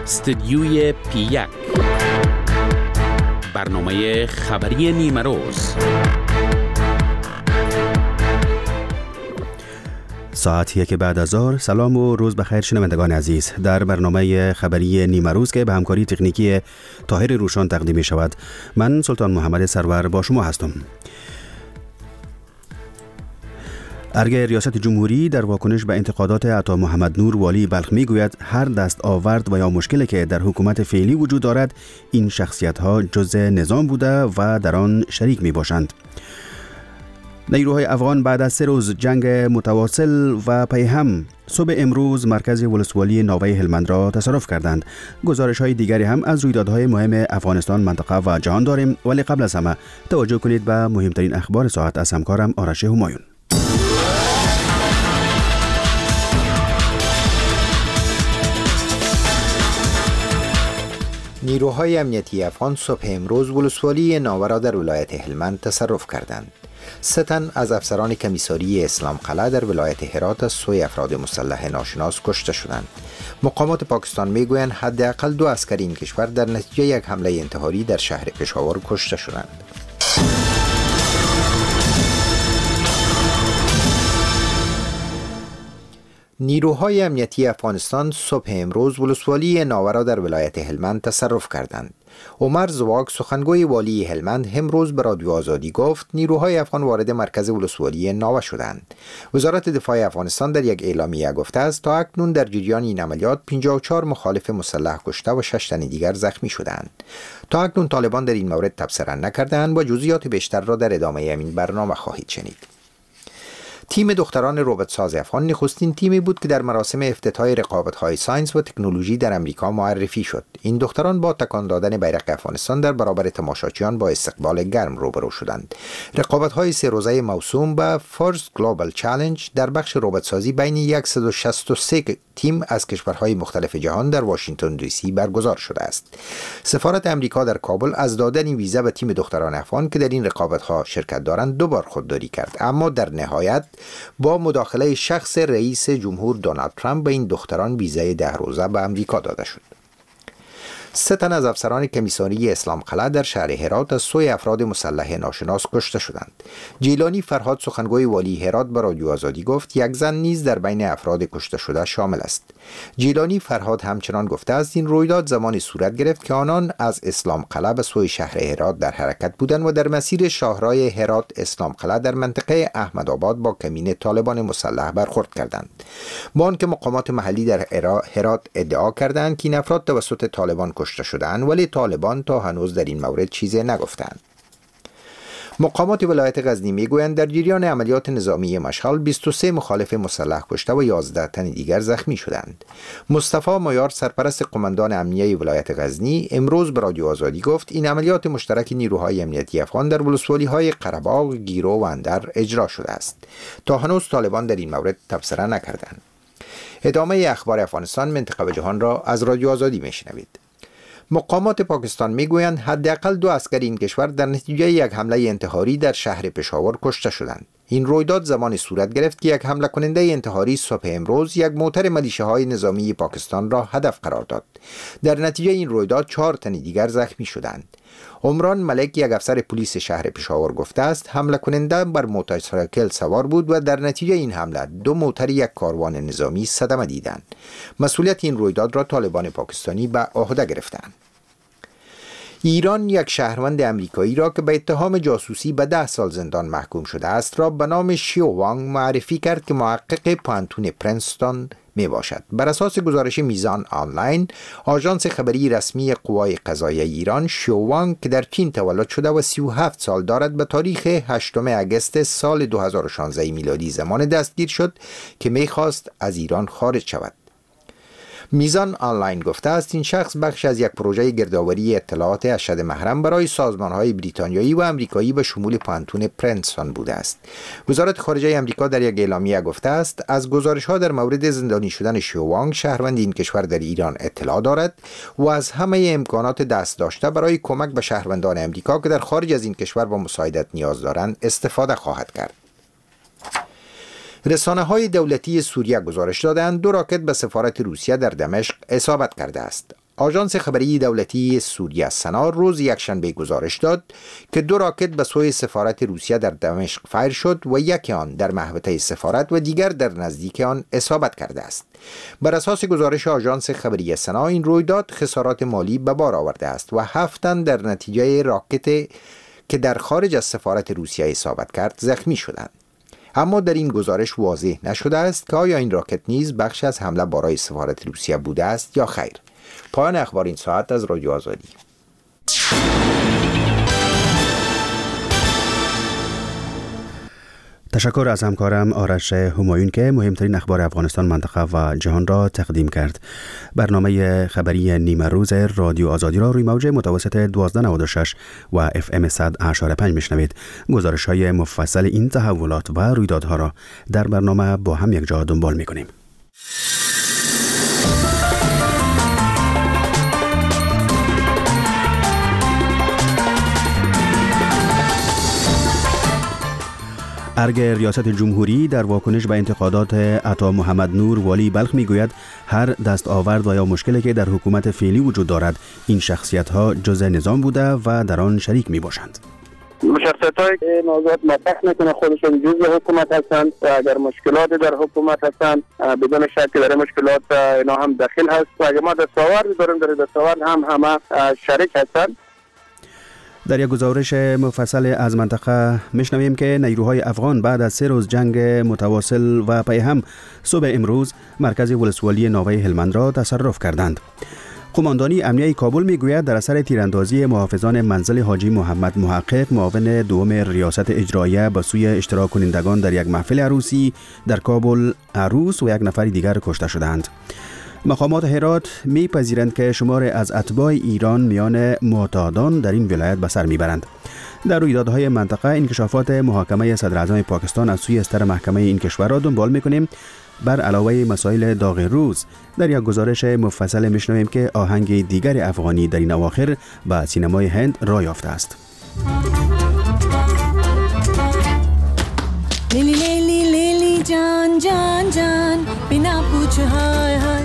استدیوی پی 1، برنامه خبری نیمه روز. ساعت 1 بعد از ظهر. سلام و روز بخیر شنوندگان عزیز. در برنامه خبری نیمه روز که به همکاری تکنیکی طاهر روشان تقدیم می شود، من سلطان محمد سرور با شما هستم. ارگ ریاست جمهوری در واکنش به انتقادات عطا محمد نور والی بلخ می گوید هر دست آورد و یا مشکلی که در حکومت فعلی وجود دارد، این شخصیت ها جزء نظام بوده و در آن شریک می باشند. نیروهای افغان بعد از 3 روز جنگ متواصل و پیهم صبح امروز مرکز ولسوالی ناوه هلمند را تصرف کردند. گزارش های دیگری هم از رویدادهای مهم افغانستان، منطقه و جهان داریم، ولی قبل از همه توجه کنید به مهمترین اخبار ساعت از همکارم آرش همایون. نیروهای امنیتی افغان صبح امروز ولسوالی ناوه را در ولایت هلمند تصرف کردند. 3 تن از افسران کمیساری اسلام قلعه در ولایت هرات از سوی افراد مسلح ناشناس کشته شدند. مقامات پاکستان میگویند حداقل 2 عسکر این کشور در نتیجه یک حمله انتحاری در شهر پشاور کشته شدند. نیروهای امنیتی افغانستان صبح امروز ولسوالی ناوه را در ولایت هلمند تصرف کردند. عمر زواک، سخنگوی والی هلمند، امروز به رادیو آزادی گفت نیروهای افغان وارد مرکز ولسوالی ناوه شدند. وزارت دفاع افغانستان در یک اعلامیه گفته است تا اکنون در جریان این عملیات 54 مخالف مسلح کشته و 6 تن دیگر زخمی شدند. تا اکنون طالبان در این مورد تبصره نکردند و جزئیات بیشتر را در ادامه این برنامه خواهید شنید. تیم دختران ربات ساز افغان نخستین تیمی بود که در مراسم افتتاح رقابت‌های science و تکنولوژی در امریکا معرفی شد. این دختران با تکان دادن بیرق افغانستان در برابر تماشاچیان با استقبال گرم روبرو شدند. رقابت‌های 3 روزه موسوم به First Global Challenge در بخش ربات سازی بین 163 تیم از کشورهای مختلف جهان در واشنگتن دی سی برگزار شده است. سفارت امریکا در کابل از دادن ویزا به تیم دختران افغان که در این رقابت‌ها شرکت دارند 2 بار خودداری کرد، اما در نهایت با مداخله شخص رئیس جمهور دونالد ترامپ به این دختران ویزای 10 روزه به امریکا داده شد. 3 تن از افسران کمیساری اسلام قلعه در شهر هرات از سوی افراد مسلح ناشناس کشته شدند. جیلانی فرهاد، سخنگوی والی هرات، به رادیو آزادی گفت یک زن نیز در بین افراد کشته شده شامل است. جیلانی فرهاد همچنان گفته است این رویداد زمانی صورت گرفت که آنان از اسلام قلعه به سوی شهر هرات در حرکت بودند و در مسیر شاهراه هرات اسلام قلعه در منطقه احمدآباد با کمین طالبان مسلح برخورد کردند. با آنکه مقامات محلی در هرات ادعا کردند که این افراد توسط طالبان کشته شدند، ولی طالبان تا هنوز در این مورد چیزی نگفتند. مقامات ولایت غزنی میگویند در جریان عملیات نظامی مشعل 23 مخالف مسلح کشته و 11 تن دیگر زخمی شدند. مصطفی مایار، سرپرست قماندان امنیه ولایت غزنی، امروز به رادیو آزادی گفت این عملیات مشترک نیروهای امنیتی افغان در ولسوالی‌های قره‌باغ، گیرو و اندر اجرا شده است. تا هنوز طالبان در این مورد تبصره نکردند. ادامه اخبار افغانستان، منطقه و جهان را از رادیو آزادی میشنوید. مقامات پاکستان میگویند حداقل 2 عسکر این کشور در نتیجه یک حمله انتحاری در شهر پشاور کشته شدند. این رویداد زمانی صورت گرفت که یک حمله کننده انتحاری صبح امروز یک موتر ملیشه های نظامی پاکستان را هدف قرار داد. در نتیجه این رویداد 4 تن دیگر زخمی شدند. عمران ملک، یک افسر پلیس شهر پشاور، گفته است حمله کننده بر موتورسیکل سوار بود و در نتیجه این حمله 2 موتر یک کاروان نظامی صدمه دیدند. مسئولیت این رویداد را طالبان پاکستانی به عهده گرفتند. ایران یک شهروند امریکایی را که به اتهام جاسوسی به 10 سال زندان محکوم شده است را به نام شیو وانگ معرفی کرد که محقق پوهنتون پرینستون می باشد. بر اساس گزارش میزان آنلاین، آژانس خبری رسمی قوای قضاییه ایران، شیو وانگ که در چین تولد شده و 37 سال دارد، به تاریخ 8 اگست سال 2016 میلادی زمان دستگیر شد که میخواست از ایران خارج شود. میزان آنلاین گفته است این شخص بخش از یک پروژه گردآوری اطلاعات اشد محرم برای سازمان‌های بریتانیایی و آمریکایی به شمول پوهنتون پرینستون بوده است. وزارت خارجه آمریکا در یک اعلامیه گفته است از گزارش‌ها در مورد زندانی شدن شیو وانگ، شهروند این کشور، در ایران اطلاع دارد و از همه امکانات دست داشته برای کمک به شهروندان آمریکا که در خارج از این کشور با مساعدت نیاز دارند استفاده خواهد کرد. رسانه‌های دولتی سوریه گزارش دادند 2 راکت به سفارت روسیه در دمشق اصابت کرده است. آژانس خبری دولتی سوریه سنا روز یکشنبه گزارش داد که 2 راکت به سوی سفارت روسیه در دمشق فیر شد و یکی آن در محوطه سفارت و دیگر در نزدیک آن اصابت کرده است. بر اساس گزارش آژانس خبری سنا، این رویداد خسارات مالی به بار آورده است و 7 تن در نتیجه راکت که در خارج از سفارت روسیه اصابت کرد زخمی شدند. اما در این گزارش واضح نشده است که آیا این راکت نیز بخش از حمله بالای سفارت روسیه بوده است یا خیر. پایان اخبار این ساعت از رادیو آزادی. تشکر از همکارم آرش همایون که مهمترین اخبار افغانستان، منطقه و جهان را تقدیم کرد. برنامه خبری نیمه روز رادیو آزادی را روی موج متوسط 1296 و اف ام 100.5 میشنوید. گزارش های مفصل این تحولات و رویدادها را در برنامه با هم یک جا دنبال میکنیم. ارگ ریاست جمهوری در واکنش به انتقادات عطا محمد نور والی بلخ میگوید هر دستاورد و یا مشکلی که در حکومت فعلی وجود دارد این شخصیت ها جزء نظام بوده و در آن شریک می باشند. شخصیت های که موضوعات مطرح میکنه خودشون جزء حکومت هستند و اگر مشکلات در حکومت هستند بدون شک در مشکلات اینا هم دخیل هست و اگر ما دستاورد داریم در دستاورد هم همه شریک هستند. در یک گزارش مفصل از منطقه میشنویم که نیروهای افغان بعد از 3 روز جنگ متواصل و پی هم صبح امروز مرکز ولسوالی ناوه هلمند را تصرف کردند. قماندانی امنیه کابل میگوید در اثر تیراندازی محافظان منزل حاجی محمد محقق معاون دوم ریاست اجراییه به سوی اشتراک کنندگان در یک محفل عروسی در کابل عروس و یک نفر دیگر کشته شدند. مقامات هرات میپذیرند که شمار از اتباع ایران میان معتادان در این ولایت به سر میبرند. در رویدادهای منطقه انکشافات محاکمه صدر اعظم پاکستان از سوی ستر محکمه این کشور را دنبال میکنیم. بر علاوه مسائل داغ روز در یک گزارش مفصل میشنویم که آهنگ دیگر افغانی در این اواخر به سینمای هند راه یافته است. لیلی لیلی لیلی جان جان جان بنا پوچھ های های.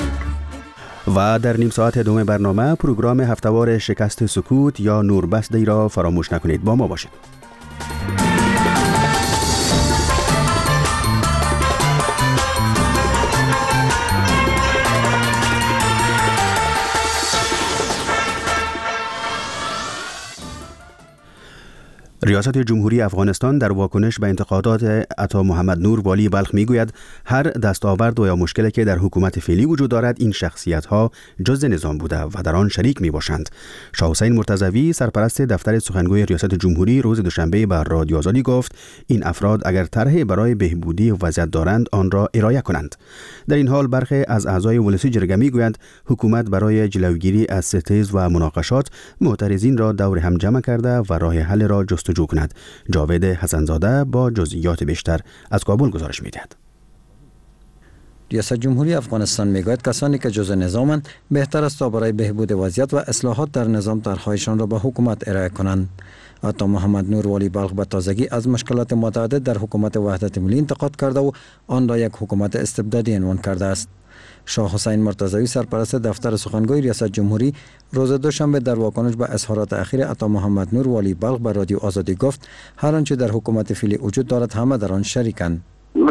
و در نیم ساعت دوم برنامه پروگرام هفتوار شکست سکوت یا نوربست را فراموش نکنید. با ما باشید. ریاست جمهوری افغانستان در واکنش به انتقادات عطا محمد نور والی بلخ میگوید هر دستاورد و یا مشکلی که در حکومت فعلی وجود دارد این شخصیت ها جزء نظام بوده و در آن شریک می باشند. شاه حسین مرتضوی سرپرست دفتر سخنگوی ریاست جمهوری روز دوشنبه بر رادیو آزادی گفت این افراد اگر طرح برای بهبودی وضعیت دارند آن را ارائه کنند. در این حال برخی از اعضای ولسی جرگه میگویند حکومت برای جلوگیری از ستیز و مناقشات معترضین را دور هم جمع کرده و راه حل را جستجو کند. جاوید حسنزاده با جزئیات بیشتر از کابل گزارش می‌دهد. ریاست جمهوری افغانستان میگوید کسانی که جزء نظامند بهتر است تا برای بهبود وضعیت و اصلاحات در نظام طرحهایشان را به حکومت ارائه کنند. عطا محمد نور والی بلخ به تازگی از مشکلات متعدد در حکومت وحدت ملی انتقاد کرده و آن را یک حکومت استبدادی عنوان کرده است. شاه حسین مرتضوی سرپرست دفتر سخنگوی ریاست جمهوری روز دوشنبه در واکنش به اظهارات اخیر عطا محمد نور والی بلخ به رادیو آزادی گفت هر آنچه در حکومت فعلی وجود دارد همه در آن شریکند.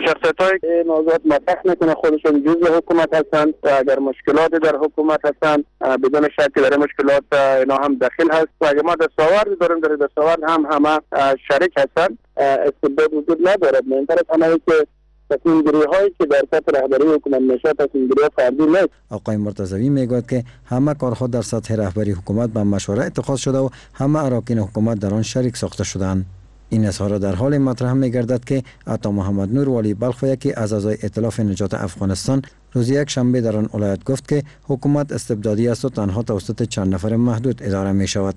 شخصیت‌هایی که موضوعات مطرح میکنه خودشون جزء حکومت هستند و اگر مشکلات در حکومت هستند بدون شک در مشکلات اینا هم دخیل هست و اگر ما دستاورد داریم در دستاورد هم همه شریک هستند. استبداد وجود ندارد. مهمتر از همه که تصمیم گیری هایی که در سطح رهبری حکومت میشه تصمیم گیری فردی نیست. آقای مرتضوی میگوید که همه کارها در سطح رهبری حکومت به مشوره اتخاذ شده و همه اراکین حکومت در آن شریک ساخته شدند. این اظهار در حال مطرح می‌گردد که عطا محمد نور والی بلخ و یکی از اعضای ائتلاف نجات افغانستان روز یک شنبه در آن ولایت گفت که حکومت استبدادی است و تنها توسط چند نفر محدود اداره می شود.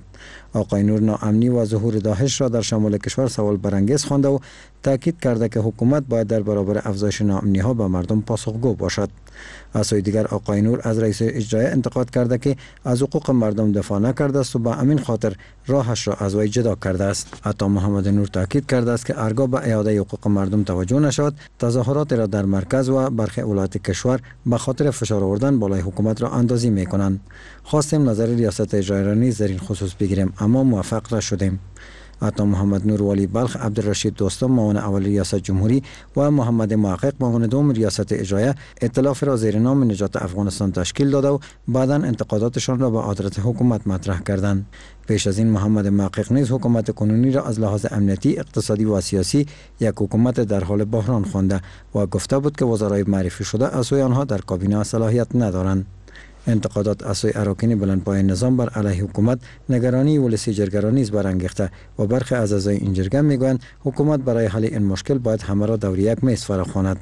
آقای نور ناامنی و ظهور داعش را در شمال کشور سوال برانگیز خوانده و تاکید کرده که حکومت باید در برابر افزایش ناامنی ها به مردم پاسخگو باشد. از سوی دیگر آقای نور از رئیس اجرایی انتقاد کرده که از حقوق مردم دفاع نکرده است و به همین خاطر راهش را از وی جدا کرده است. عطا محمد نور تاکید کرده است که ارگاه به اعاده حقوق مردم توجه نشود، تظاهرات را در مرکز و برخی ولایات کشور به خاطر فشار آوردن بالای حکومت را اندازی میکنند. خواستیم نظر ریاست اجرایی را نیز در این خصوص بگیریم، اما موفق نشدیم. عطا محمد نور والی بلخ، عبدالرشید دوستم معاون اول ریاست جمهوری و محمد محقق معاون دوم ریاست اجرایه ائتلاف را زیر نام نجات افغانستان تشکیل داده و بعدا انتقاداتشان را به آدرس حکومت مطرح کردند. پیش از این محمد محقق نیز حکومت کنونی را از لحاظ امنیتی، اقتصادی و سیاسی یک حکومت در حال بحران خوانده و گفته بود که وزرای معرفی شده از سوی آنها در کابینه صلاحیت ندارند. انتقادات از سوی اراکین بلندپایه نظام بر علیه حکومت نگرانی ولسی جرگه را نیز برانگیخته و برخی از اعضای این جرگه میگویند حکومت برای حل این مشکل باید همه را دور یک میز فراخواند.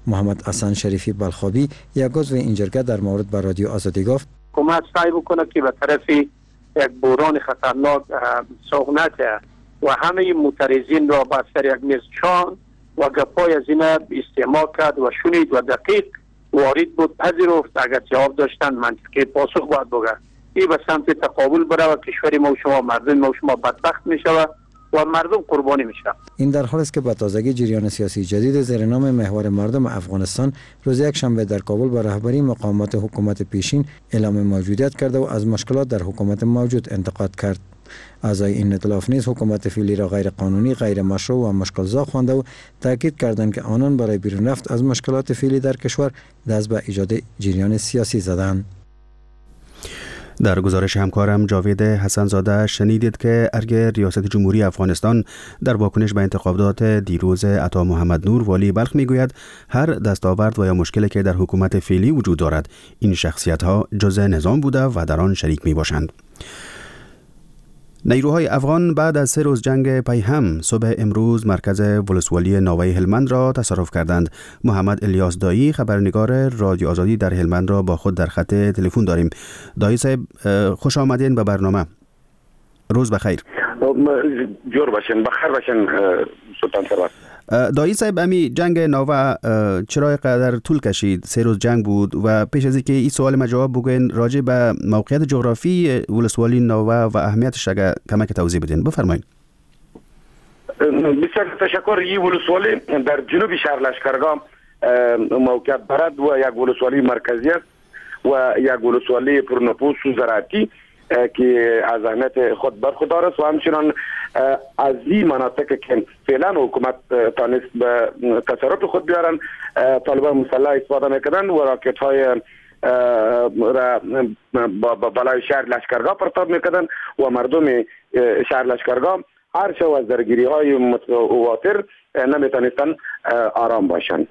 محمد حسن شریفی بلخابی یک عضو این جرگه در مورد بر رادیو آزادی گفت: حکومت سعی بکنه که به طرف یک بحران خطرناک سوق نده و همه معترضین را بر سر یک میز چان و گپای از این استماع کرد و شنید و دقیق وارد بود پذیرفت. اگر جواب داشتن منطقی پاسخ باید بگن. این به سمت تقابل بره و کشور ما و شما، مردم ما و شما بدبخت میشه و مردم قربانی میشه. این در حال است که به تازگی جریان سیاسی جدید زیر نام محور مردم افغانستان روز یکشنبه در کابل با رهبری مقامات حکومت پیشین اعلام موجودیت کرده و از مشکلات در حکومت موجود انتقاد کرد. اعضای این ائتلاف نیز حکومت فعلی را غیر قانونی، غیر مشروع و مشکلزا خوانده و تاکید کردند که آنان برای بیرون رفت از مشکلات فعلی در کشور دست به ایجاد جریان سیاسی زدند. در گزارش همکارم جاوید حسن زاده شنیدید که ارگ ریاست جمهوری افغانستان در واکنش به انتخابات دیروز عطا محمد نور والی بلخ میگوید هر دستاورد و یا مشکلی که در حکومت فعلی وجود دارد این شخصیت ها جزء نظام بوده و در آن شریک می باشند. نیروهای افغان بعد از 3 روز جنگ پیهم صبح امروز مرکز ولسوالی ناوه هلمند را تصرف کردند. محمد الیاس دایی خبرنگار رادیو آزادی در هلمند را با خود در خط تلفن داریم. دایی صاحب خوش آمدین به برنامه. روز بخیر. جور باشین، بخیر باشین سلطان سرور. دایی صاحب امی جنگ ناوه چرا قدر طول کشید؟ 3 روز جنگ بود و پیش از اینکه این سوال ما جواب بگوین راجع به موقعیت جغرافی ولسوالی ناوه و اهمیتش اگه کمک توضیح بدین بفرمایید. بسیار تشکر. این ولسوالی در جنوب شهر لشکرگاه موقعیت دارد و یک ولسوالی مرکزی است و یک ولسوالی پرنفوس و زراعتی که از اهمیت خود برخوردار است و همچنان از این مناطق که فعلا حکومت تانست به تصرف خود بیارن طالبان مسلح استفاده میکردن و راکت های را بالای شهر لشکرگاه پرتاب میکردن و مردم شهر لشکرگاه هر شو از درگیری های متواتر نمیتونستن آرام باشند.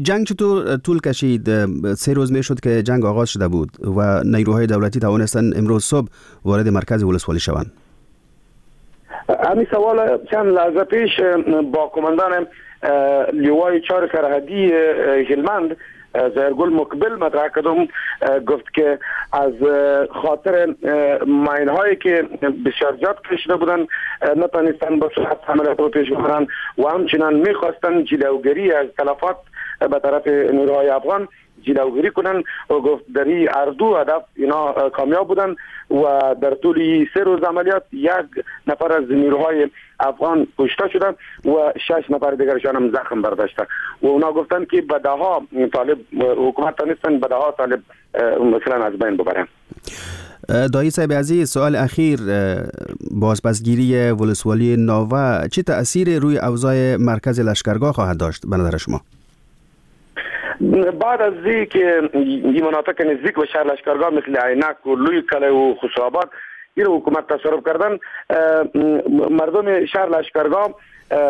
جنگ چطور طول کشید؟ 3 روز می شد که جنگ آغاز شده بود و نیروهای دولتی توانستند امروز صبح وارد مرکز ولسوالی شوند. همین سوال چند لحظه پیش با کماندان لیوای 4 سرحدی هلمند زهرگل مقبل مطرح کردم. گفت که از خاطر ماین هایی که بسیار زیاد کشیده بودن نتانستن با سرعت عملیات رو پیش ببرن و همچنان میخواستن جلوگیری از تلفات به طرف نیروهای افغان جلوگیری کنن و گفت در این هر دو هدف اینا کامیاب بودن و در طول 3 روز عملیات 1 نفر از نیروهای افغان کشته شدن و 6 نفر دیگرشان هم زخم برداشته و اونا گفتن که به ده‌ها طالب حکومت تانستن به ده‌ها طالب مثلا از بین ببرن. دایی صاحب عزیز سوال اخیر، بازپسگیری ولسوالی ناوه چه تأثیر روی اوضاع مرکز لشکرگاه خواهد داشت به نظر شما؟ بعد از اینکه این مناطق نزدیک به شهر لشکرگاه مثل عینک و لوی کله و خسروآباد این حکومت تصرف کردن، مردم شهر لشکرگاه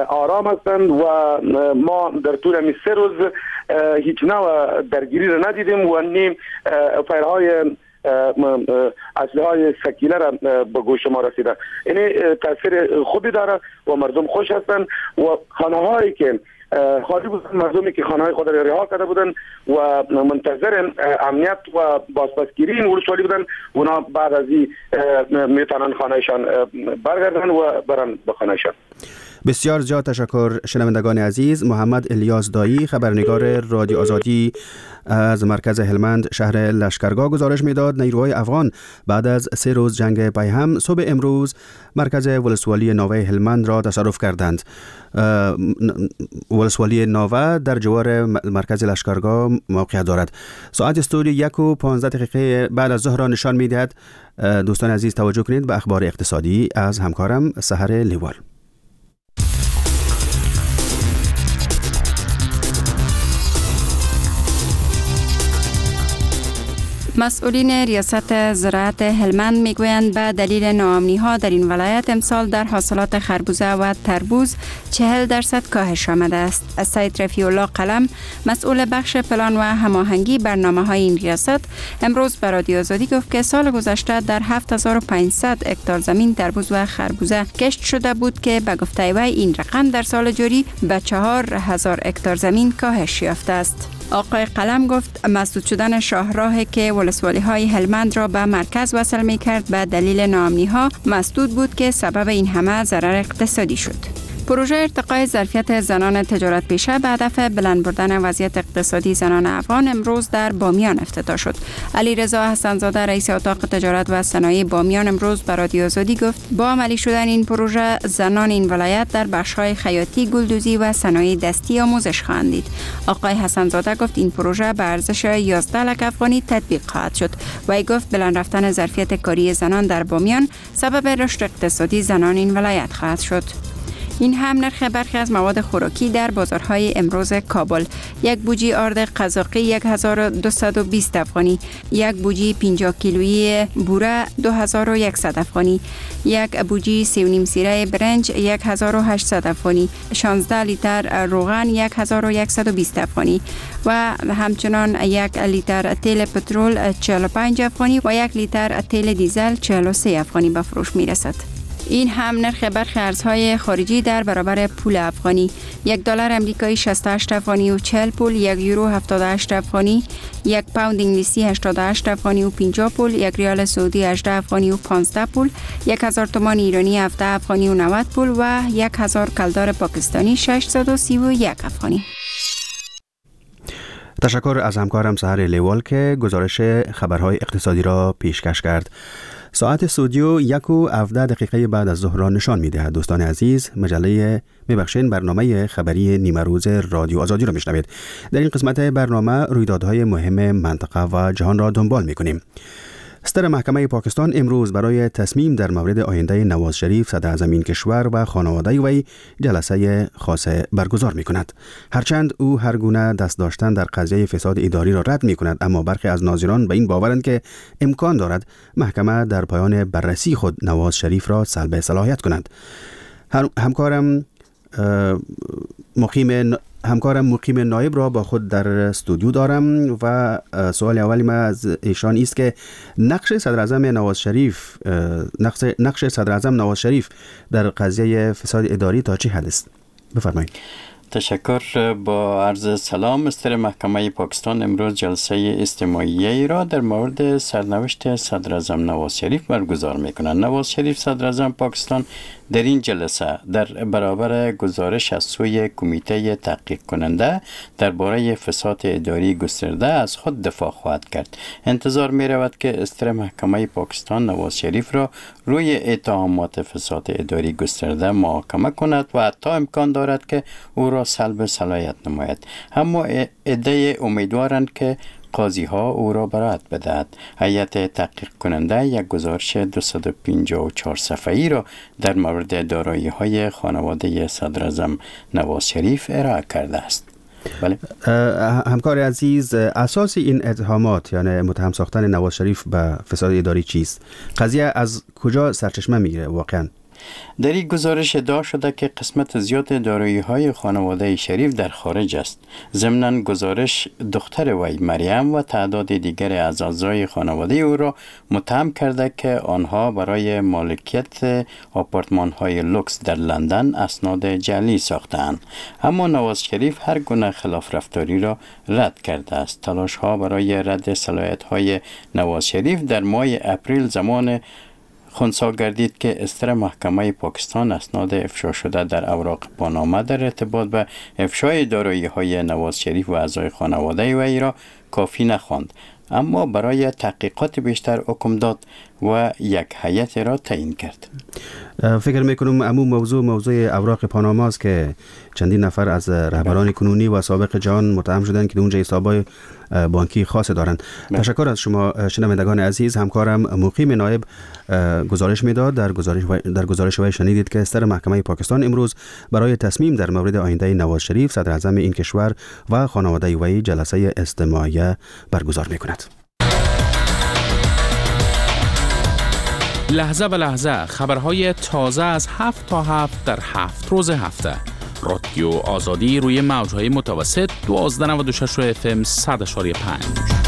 آرام هستند و ما در طول همین 3 روز هیچ نوع درگیری را ندیدیم و نیم فایرهای اسلحه های ثقیله را به گوش ما رسیده. یعنی تاثیر خوبی داره و مردم خوش هستند و خانه هایی که خالی بودن، مردمی که خانه های خود را رها کرده بودن و منتظر امنیت و بازپسگیری این ولسوالی بودن، اونا بعد از این میتونن خانهشان برگردن و برن به خانهشان. بسیار زیاد تشکر شنوندگان عزیز. محمد الیاس دایی، خبرنگار رادیو آزادی از مرکز هلمند شهر لشکرگاه گزارش میداد. نیروهای افغان بعد از 3 روز جنگ پیهم صبح امروز مرکز ولسوالی ناوه هلمند را تصرف کردند. ولسوالی ناوه در جوار مرکز لشکرگاه موقعیت دارد. ساعت استودیو 1:15 بعد از ظهر را نشان میدهد. دوستان عزیز توجه کنید به اخبار اقتصادی از همکارم سحر لیوال. مسئولین ریاست زراعت هلمند میگویند به دلیل ناامنی‌ها در این ولایت امسال در حاصلات خربوزه و تربوز 40% کاهش آمده است. سید رفیع الله قلم، مسئول بخش پلان و هماهنگی برنامه‌های این ریاست، امروز به رادیو آزادی گفت که سال گذشته در 7500 هکتار زمین تربوز و خربوزه کشت شده بود که به گفته وی این رقم در سال جاری به 4000 هکتار زمین کاهش یافته است. آقای قلم گفت مسدود شدن شاهراه که ولسوالی‌های هلمند را به مرکز وصل می‌کرد به دلیل ناامنی‌ها مسدود بود که سبب این همه ضرر اقتصادی شد. پروژه ارتقای ظرفیت زنان تجارت پیشه به هدف بلند بردن وضعیت اقتصادی زنان افغان امروز در بامیان افتتاح شد. علیرضا حسن‌زاده، رئیس اتاق تجارت و صنایع بامیان، امروز به رادیو آزادی گفت با عملی شدن این پروژه زنان این ولایت در بخش‌های خیاطی، گلدوزی و صنایع دستی آموزش خواهند دید. آقای حسن‌زاده گفت این پروژه به ارزش 11 لک افغانی تطبیق خواهد شد و گفت بلند رفتن ظرفیت کاری زنان در بامیان سبب رشد اقتصادی زنان این ولایت خواهد شد. این هم نرخ برخی از مواد خوراکی در بازارهای امروز کابل: یک بوجی آرد قزاقی 1220 افغانی، یک بوجی 50 کیلویی بوره 2100 افغانی، یک بوجی 3.5 سیره برنج 1800 افغانی، 16 لیتر روغن 1120 افغانی و همچنان یک لیتر تیل پترول 45 افغانی و یک لیتر تیل دیزل 43 افغانی به فروش می رسد. این هم نرخ برخی ارزهای خارجی در برابر پول افغانی: $1 امریکایی 68 افغانی و 40 پول، 1 یورو 78 افغانی، 1 پوند انگلیسی 88 افغانی و 50 پول، 1 ریال سعودی 18 افغانی و 15 پول، 1000 تومان ایرانی 17 افغانی و 90 پول و 1000 کلدار پاکستانی 631 افغانی. تشکر از همکارم سحر لیوال که گزارش خبرهای اقتصادی را پیشکش کرد. ساعت استودیو 1:17 بعد از ظهر را نشان می‌دهد. دوستان عزیز، مجله میبخشین برنامه خبری نیمه روز رادیو آزادی را میشنوید. در این قسمت برنامه رویدادهای مهم منطقه و جهان را دنبال می‌کنیم. ستر محکمه پاکستان امروز برای تصمیم در مورد آینده نواز شریف، صدراعظم این کشور و خانواده وی جلسه خاص برگزار می کند. هرچند او هر گونه دست داشتن در قضیه فساد اداری را رد می کند، اما برخی از ناظران به این باورند که امکان دارد محکمه در پایان بررسی خود نواز شریف را سلب صلاحیت کند. همکارم مقیم نایب را با خود در استودیو دارم و سوال اولی ما از ایشان است که نقش صدراعظم نواز شریف در قضیه فساد اداری تا چه حد است؟ بفرمایید. تشکر. با عرض سلام، ستر محکمه پاکستان امروز جلسه استماعیه را در مورد سرنوشت صدراعظم نواز شریف برگزار می‌کنند. نواز شریف صدراعظم پاکستان در این جلسه در برابر گزارش از سوی کمیته تحقیق کننده درباره فساد اداری گسترده از خود دفاع خواهد کرد. انتظار می رود که ستر محکمه پاکستان نواز شریف را روی اتهامات فساد اداری گسترده محاکمه کند و حتی امکان دارد که او را سلب صلاحیت نماید. اما عده امیدوارند که قاضی ها او را برائت بدهد. هیئت تحقیق کننده یک گزارش 254 صفحه‌ای را در مورد دارایی های خانواده صدراعظم نواز شریف ارائه کرده است. بله. همکار عزیز، اساس این اتهامات یعنی متهم ساختن نواز شریف به فساد اداری چیست؟ قضیه از کجا سرچشمه میگیره واقعا؟ در این گزارش ادعا شده که قسمت زیاد دارایی‌های خانواده شریف در خارج است. ضمناً گزارش دختر وی مریم و تعداد دیگر از اعضای خانواده او را متهم کرده که آنها برای مالکیت آپارتمان‌های لوکس در لندن اسناد جعلی ساختند. اما نواز شریف هر گونه خلاف رفتاری را رد کرده است. تلاش‌ها برای رد صلاحیت‌های نواز شریف در ماه اپریل زمان خنثی گردید که استر محکمه پاکستان اسناد افشا شده در اوراق پاناما در ارتباط به افشای دارایی‌های نواز شریف و اعضای خانواده وی را کافی نخواند، اما برای تحقیقات بیشتر حکم داد و یک هیئت را تعیین کرد. فکر میکنم امو موضوع اوراق پاناما است که چندین نفر از رهبران کنونی و سابق جهان متهم شدند که اونجا حساب‌های بانکی خاص دارند. تشکر از شما شنوندگان عزیز. همکارم مقیم نایب گزارش میداد. در گزارش وی شنیدید که سر محکمه پاکستان امروز برای تصمیم در مورد آینده نواز شریف صدر اعظم این کشور و خانواده وی جلسه استماعیه برگزار میکند. لحظه به لحظه خبرهای تازه از 7 تا 7 در 7 روز هفته. رادیو آزادی روی موج‌های متوسط 1296 FM 100.5.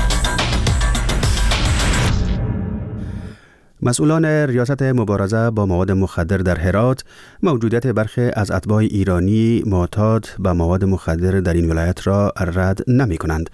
مسئولان ریاست مبارزه با مواد مخدر در هرات موجودیت برخی از اتباع ایرانی معتاد به مواد مخدر در این ولایت را رد نمی کنند.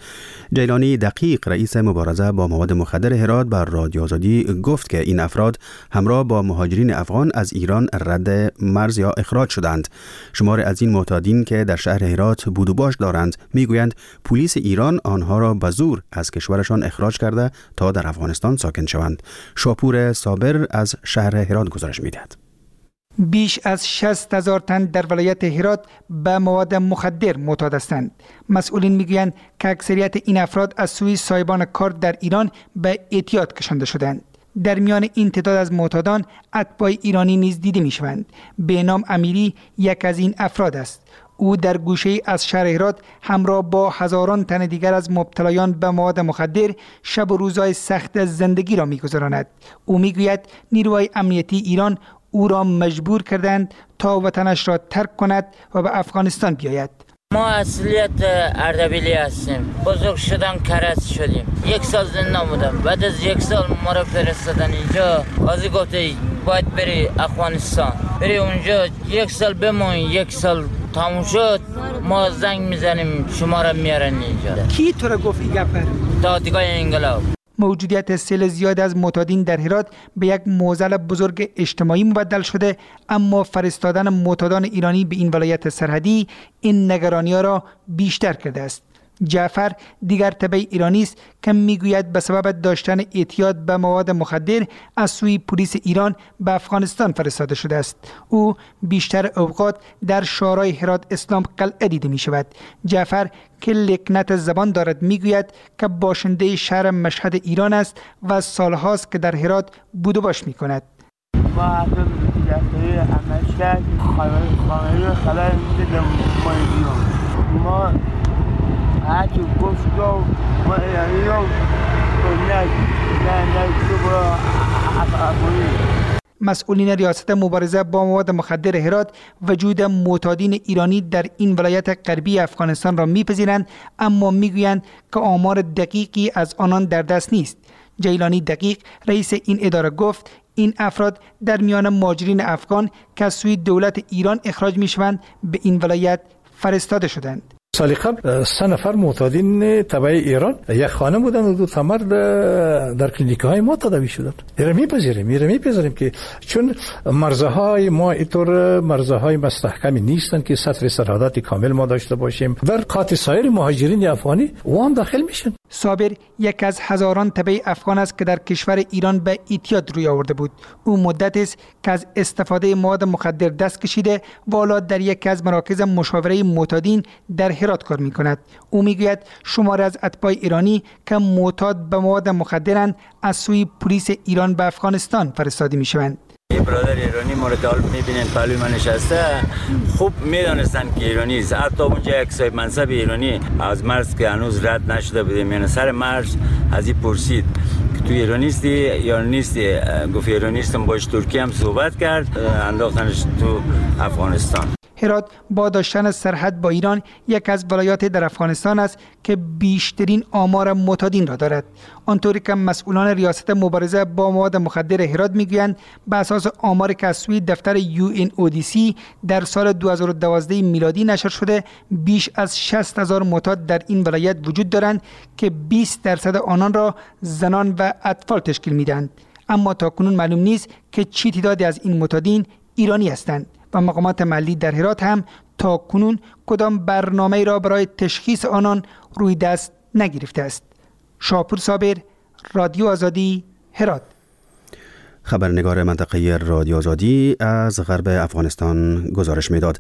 جیلانی دقیق رئیس مبارزه با مواد مخدر هرات بر رادیو آزادی گفت که این افراد همراه با مهاجرین افغان از ایران رد مرز یا اخراج شدند. شمار از این معتادین که در شهر هرات بود و باش دارند میگویند پلیس ایران آنها را به زور از کشورشان اخراج کرده تا در افغانستان ساکن شوند. شاپور صابر از شهر هرات گزارش میدهد. بیش از 60,000 تن در ولایت هرات به مواد مخدر معتاد هستند. مسئولین میگویند که اکثریت این افراد از سوی صاحبان کار در ایران به اعتیاد کشانده شدند. در میان این تعداد از معتادان اتباع ایرانی نیز دیده میشوند. به نام امیری یک از این افراد است. او در گوشه از شهر هرات همراه با هزاران تن دیگر از مبتلایان به مواد مخدر شب و روزهای سخت زندگی را می‌گذراند. او میگوید نیروهای امنیتی ایران او را مجبور کردند تا وطنش را ترک کند و به افغانستان بیاید. ما اصلیت اردبیلی هستیم. بزرگ شدم کرج شدیم. 1 سال زندان بودم. بعد از 1 سال ما را فرستادن اینجا. قاضی گفته باید بری افغانستان. بری اونجا 1 سال بمون، 1 سال تموم شد ما زنگ میزنیم شما را میارن اینجا. کی تو را گفت این گپ؟ دادگاه انقلاب. موجودیت سیل زیاد از معتادین در هرات به یک معضل بزرگ اجتماعی مبدل شده، اما فرستادن معتادان ایرانی به این ولایت سرحدی این نگرانی‌ها را بیشتر کرده است. جعفر دیگر تبع ایرانی است که میگوید به سبب داشتن اعتیاد به مواد مخدر از سوی پلیس ایران به افغانستان فرستاده شده است. او بیشتر اوقات در شورای هرات اسلام قلعه دیده می شود. جعفر که لکنت زبان دارد میگوید که باشنده شهر مشهد ایران است و سالهاست که در هرات بود و باش می کند. ما هرچی گفت ما ایرانی رو نه نه مسئولین ریاست مبارزه با مواد مخدر هرات وجود معتادین ایرانی در این ولایت غربی افغانستان را میپذیرند، اما میگویند که آمار دقیقی از آنان در دست نیست. جیلانی دقیق رئیس این اداره گفت این افراد در میان مهاجرین افغان که از سوی دولت ایران اخراج میشوند به این ولایت فرستاده شدند. سال قبل 3 نفر معتادین تبع ایران، یک خانم بودن و 2 تا مرد در کلینیک های ما تداوی شدند. میپذیریم که چون مرزهای ما اینطور مرزهای مستحکمی نیستند که سطر سرحدات کامل ما داشته باشیم. در قاطع سایر مهاجرین افغانی و هم داخل میشن. صابر یک از هزاران تبع افغان است که در کشور ایران به اعتیاد روی آورده بود. او مدت است که از استفاده مواد مخدر دست کشیده و حالا در یکی از مراکز مشاوره معتادین در هرات کار می کند. او میگوید شماری از اتباع ایرانی که معتاد به مواد مخدرند از سوی پلیس ایران به افغانستان فرستاده می شوند. یه برادر ایرانی مورد حال میبینن پهلوی من نشسته، خوب میدانستن که ایرانی است. حتی اونجا یک صاحب منصب ایرانی از مرز که هنوز رد نشده بودیم، یعنی سر مرز از این پرسید که تو ایرانی هستی یا نیستی؟ گفت ایرانی هستم. باش ترکی هم صحبت کرد، انداختنش تو افغانستان. هرات با داشتن سرحد با ایران یک از ولایات در افغانستان است که بیشترین آمار معتادین را دارد. آنطوری که مسئولان ریاست مبارزه با مواد مخدر هرات میگویند، به اساس آمار که از سوی دفتر UNODC در سال 2012 میلادی نشر شده، بیش از 60,000 معتاد در این ولایت وجود دارند که 20% آنان را زنان و اطفال تشکیل میدهند. اما تاکنون معلوم نیست که چه تعدادی از این معتادین ایرانی هستند و مقامات محلی در هرات هم تاکنون کدام برنامه را برای تشخیص آنان روی دست نگرفته است. شاپور صابر، رادیو آزادی، هرات. خبرنگار منطقه رادیو آزادی از غرب افغانستان گزارش میداد.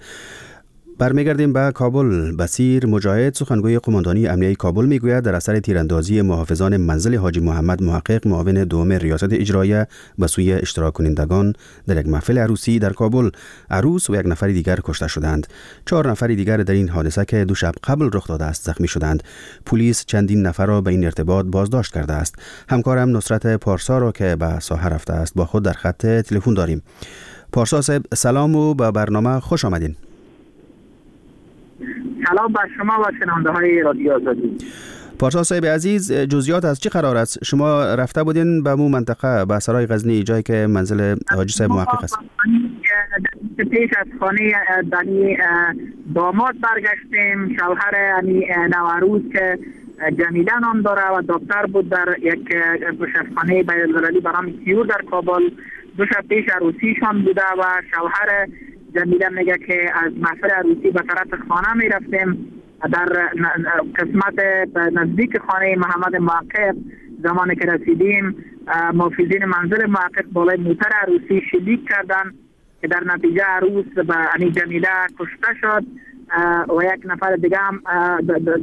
برمیگردیم به کابل. بصیر مجاهد، سخنگوی قماندانی امنیه کابل، میگوید در اثر تیراندازی محافظان منزل حاجی محمد محقق، معاون دوم ریاست اجراییه، به سوی اشتراک کنندگان در یک محفل عروسی در کابل، عروس و یک نفر دیگر کشته شدند. 4 نفر دیگر در این حادثه که 2 شب قبل رخ داده است زخمی شدند. پلیس چندین نفر را به این ارتباط بازداشت کرده است. همکارم نصرت پارسا را که به ساحه رفته است با خود در خط تلفن داریم. پارسا صاحب، سلام و به برنامه خوش آمدین. سلام بر شما و شنونده های رادیو آزادی. پارسا صاحب عزیز، جزئیات از چه قرار است؟ شما رفته بودین به مو منطقه، به سرای غزنی، جایی که منزل حاجی صاحب محقق است. پیش از خانه دنی داماد برگشتیم. شوهر یعنی نوعروس که جمیله نام داره و دکتر بود در یک شفاخانه بین‌المللی به نام کیور در کابل، 2 شب پیش عروسیشان بوده و شوهر جمیله میگه که از محفل عروسی به طرف خانه می رفتیم، در قسمت نزدیک خانه محمد محقق زمانی که رسیدیم محافظین منزل محقق بالای موتر عروسی شلیک کردند که در نتیجه عروس به یعنی جمیله کشته شد و یک نفر دیگه هم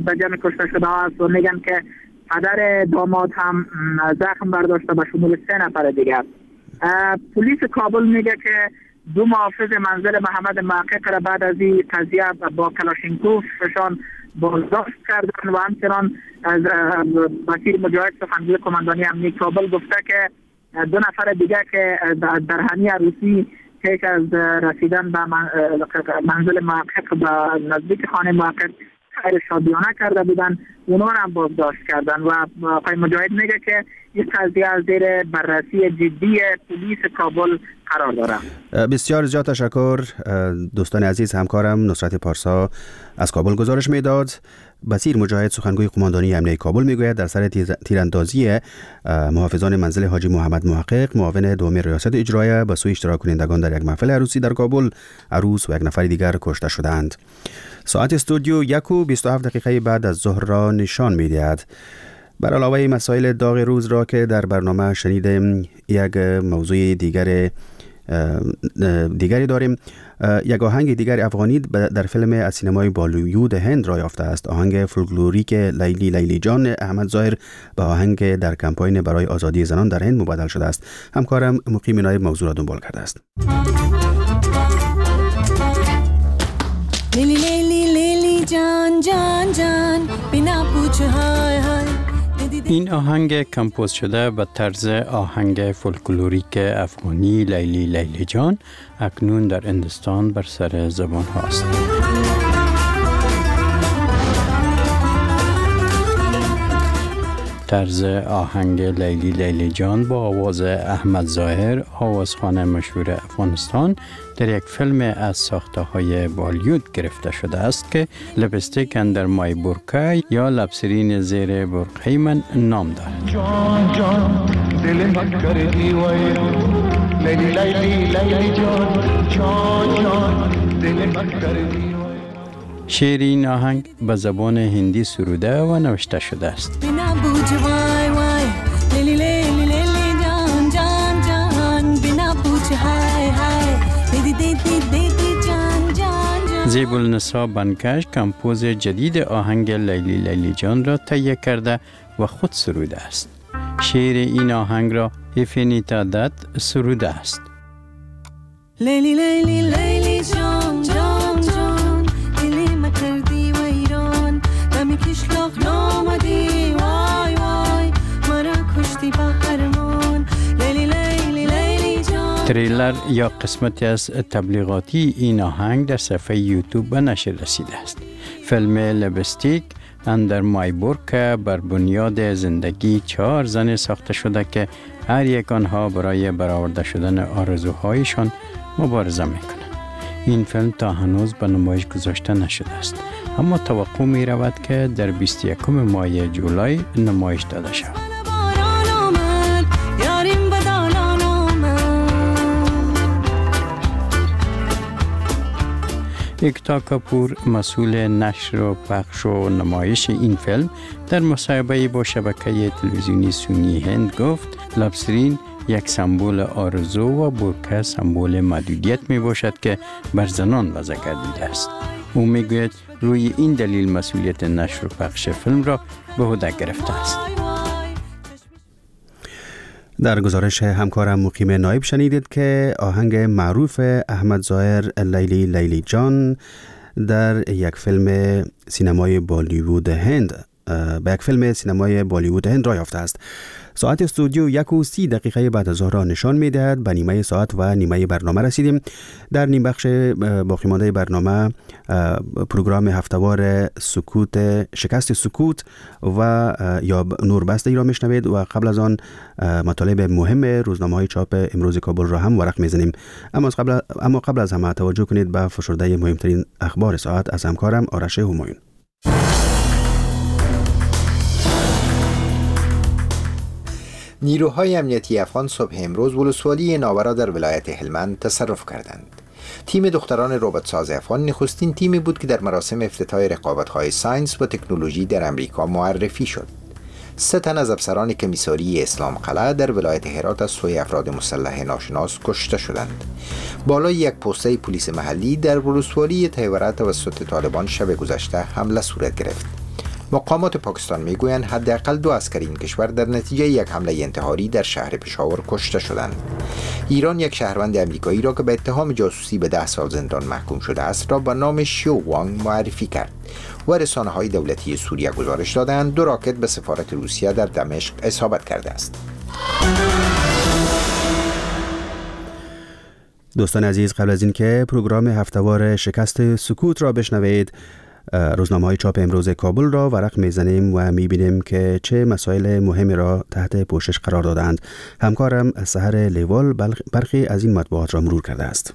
به جمع کشته شده است و میگن که پدر داماد هم زخم برداشته به شمول 3 نفر دیگه. پلیس کابل میگه که 2 محافظ منزل محمد محقق را بعد از این قضیه با کلاشینکوفشان بازداشت کردند و همچنان از بصیر مجاهد سخنگوی قماندانی امنیت کابل گفته که 2 نفر دیگه که در همین عروسی پیش از رسیدن به منزل محقق به نزدیک خانه محقق خیر شادیانه کرده بودن، اونا را هم بازداشت کردن و آقای مجاهد میگه که این قضیه از زیر بررسی جدی پلیس کابل قرار داره. بسیار زیاد تشکر دوستان عزیز. همکارم نصرت پارسا از کابل گزارش میداد. بصیر مجاهد سخنگوی قماندانی امنیت کابل میگوید در سر تیراندازی محافظان منزل حاجی محمد محقق، معاون دوم ریاست اجراییه، به سوی اشتراک کنندگان در یک محفل عروسی در کابل، عروس و یک نفر دیگر کشته شدند. ساعت استودیو 1:27 بعد از ظهر را نشان میدهد. بر علاوه مسائل داغ روز را که در برنامه شنیدیم، یک موضوع دیگری داریم. یک آهنگ دیگر افغانی در فیلم از سینمای بالیوود هند را یافته است. آهنگ فولکلوریک لیلی لیلی جان احمد ظاهر به آهنگ در کمپاین برای آزادی زنان در هند مبدل شده است. همکارم مقیم نایب موضوع را دنبال کرده است. لیلی لیلی لیلی جان جان جان بنا پوچھ های های. این آهنگ کمپوز شده به طرز آهنگ فولکلوریک افغانی لیلی لیلی جان اکنون در هندوستان بر سر زبان هاست. طرز آهنگ لیلی لیلی جان با آواز احمد ظاهر، آوازخوان مشهور افغانستان، در یک فیلم از ساخته های بالیوود گرفته شده است که Lipstick Under My Burkha یا لبسرین زیر برقه من نام دارد. جان جان دل من کردی لیلی لیلی لیلی جان جان جان دل من کردی. شعر این آهنگ به زبان هندی سروده و نوشته شده است. زیب النسا بنکش کمپوز جدید آهنگ لیلی لیلی جان را تهیه کرده و خود سروده است. شعر این آهنگ را افینیتا دت سروده است. لیلی لیلی لیلی جان جان جان دلی مکردی و ایران دمی کشلاق نامدی وای وای مرا کشتی به هرمان لیلی لیلی لیلی جان. تریلر یا قسمتی از تبلیغاتی این آهنگ در صفحه یوتیوب به نشر رسیده است. فیلم Lipstick Under My Burkha بر بنیاد زندگی 4 زن ساخته شده که هر یک آنها برای برآورده شدن آرزوهایشان مبارزه میکنند. این فیلم تا هنوز به نمایش گذاشته نشده است، اما توقع می رود که در 21 ماه جولای نمایش داده شود. اکتا کاپور، مسئول نشر و پخش و نمایش این فیلم، در مصاحبه با شبکه تلویزیونی سونی هند گفت لبسرین یک سمبل آرزو و برکه سمبل محدودیت می باشد که بر زنان وضع گردیده است. او می گوید روی این دلیل مسئولیت نشر و پخش فیلم را به عهده گرفته است. در گزارش همکارم مقیم نایب شنیدید که آهنگ معروف احمد ظاهر لیلی لیلی جان در یک فیلم سینمای بالیوود هند به یک فیلم سینمای بالیوود هند راه یافته است. ساعت استودیو 1:30 بعد از ظهر را نشان می‌دهد. به نیمه ساعت و نیمه برنامه رسیدیم. در نیم بخش باقی مانده برنامه پروگرام هفتوار سکوت، شکست سکوت و یا نوربسته را میشنوید و قبل از آن مطالب مهم روزنامه‌های چاپ امروز کابل را هم ورق می‌زنیم. اما قبل از همه توجه کنید به فشرده مهمترین اخبار ساعت از همکارم آرش همایون. نیروهای امنیتی افغان صبح امروز ولسوالی ناورا در ولایت هلمند تصرف کردند. تیم دختران ربات‌ساز افغان نخستین تیمی بود که در مراسم افتتاح رقابت‌های science و تکنولوژی در امریکا معرفی شد. 3 تن از افسران کمیساری اسلام قلعه در ولایت هرات از سوی افراد مسلح ناشناس کشته شدند. بالای یک پسته پلیس محلی در ولسوالی تیوره توسط طالبان شب گذشته حمله صورت گرفت. مقامات پاکستان میگویند حداقل 2 عسکر این کشور در نتیجه یک حمله انتحاری در شهر پشاور کشته شدند. ایران یک شهروند امریکایی را که به اتهام جاسوسی به 10 سال زندان محکوم شده است را با نام شیو وانگ معرفی کرد و رسانه‌های دولتی سوریه گزارش دادند 2 راکت به سفارت روسیه در دمشق اصابت کرده است. دوستان عزیز، قبل از اینکه پروگرام هفتوار شکست سکوت را بشنوید، روزنامه‌های چاپ امروز کابل را ورق می‌زنیم و می‌بینیم که چه مسائل مهمی را تحت پوشش قرار دادند. همکارم سحر لیوال برخی از این مطبوعات را مرور کرده است.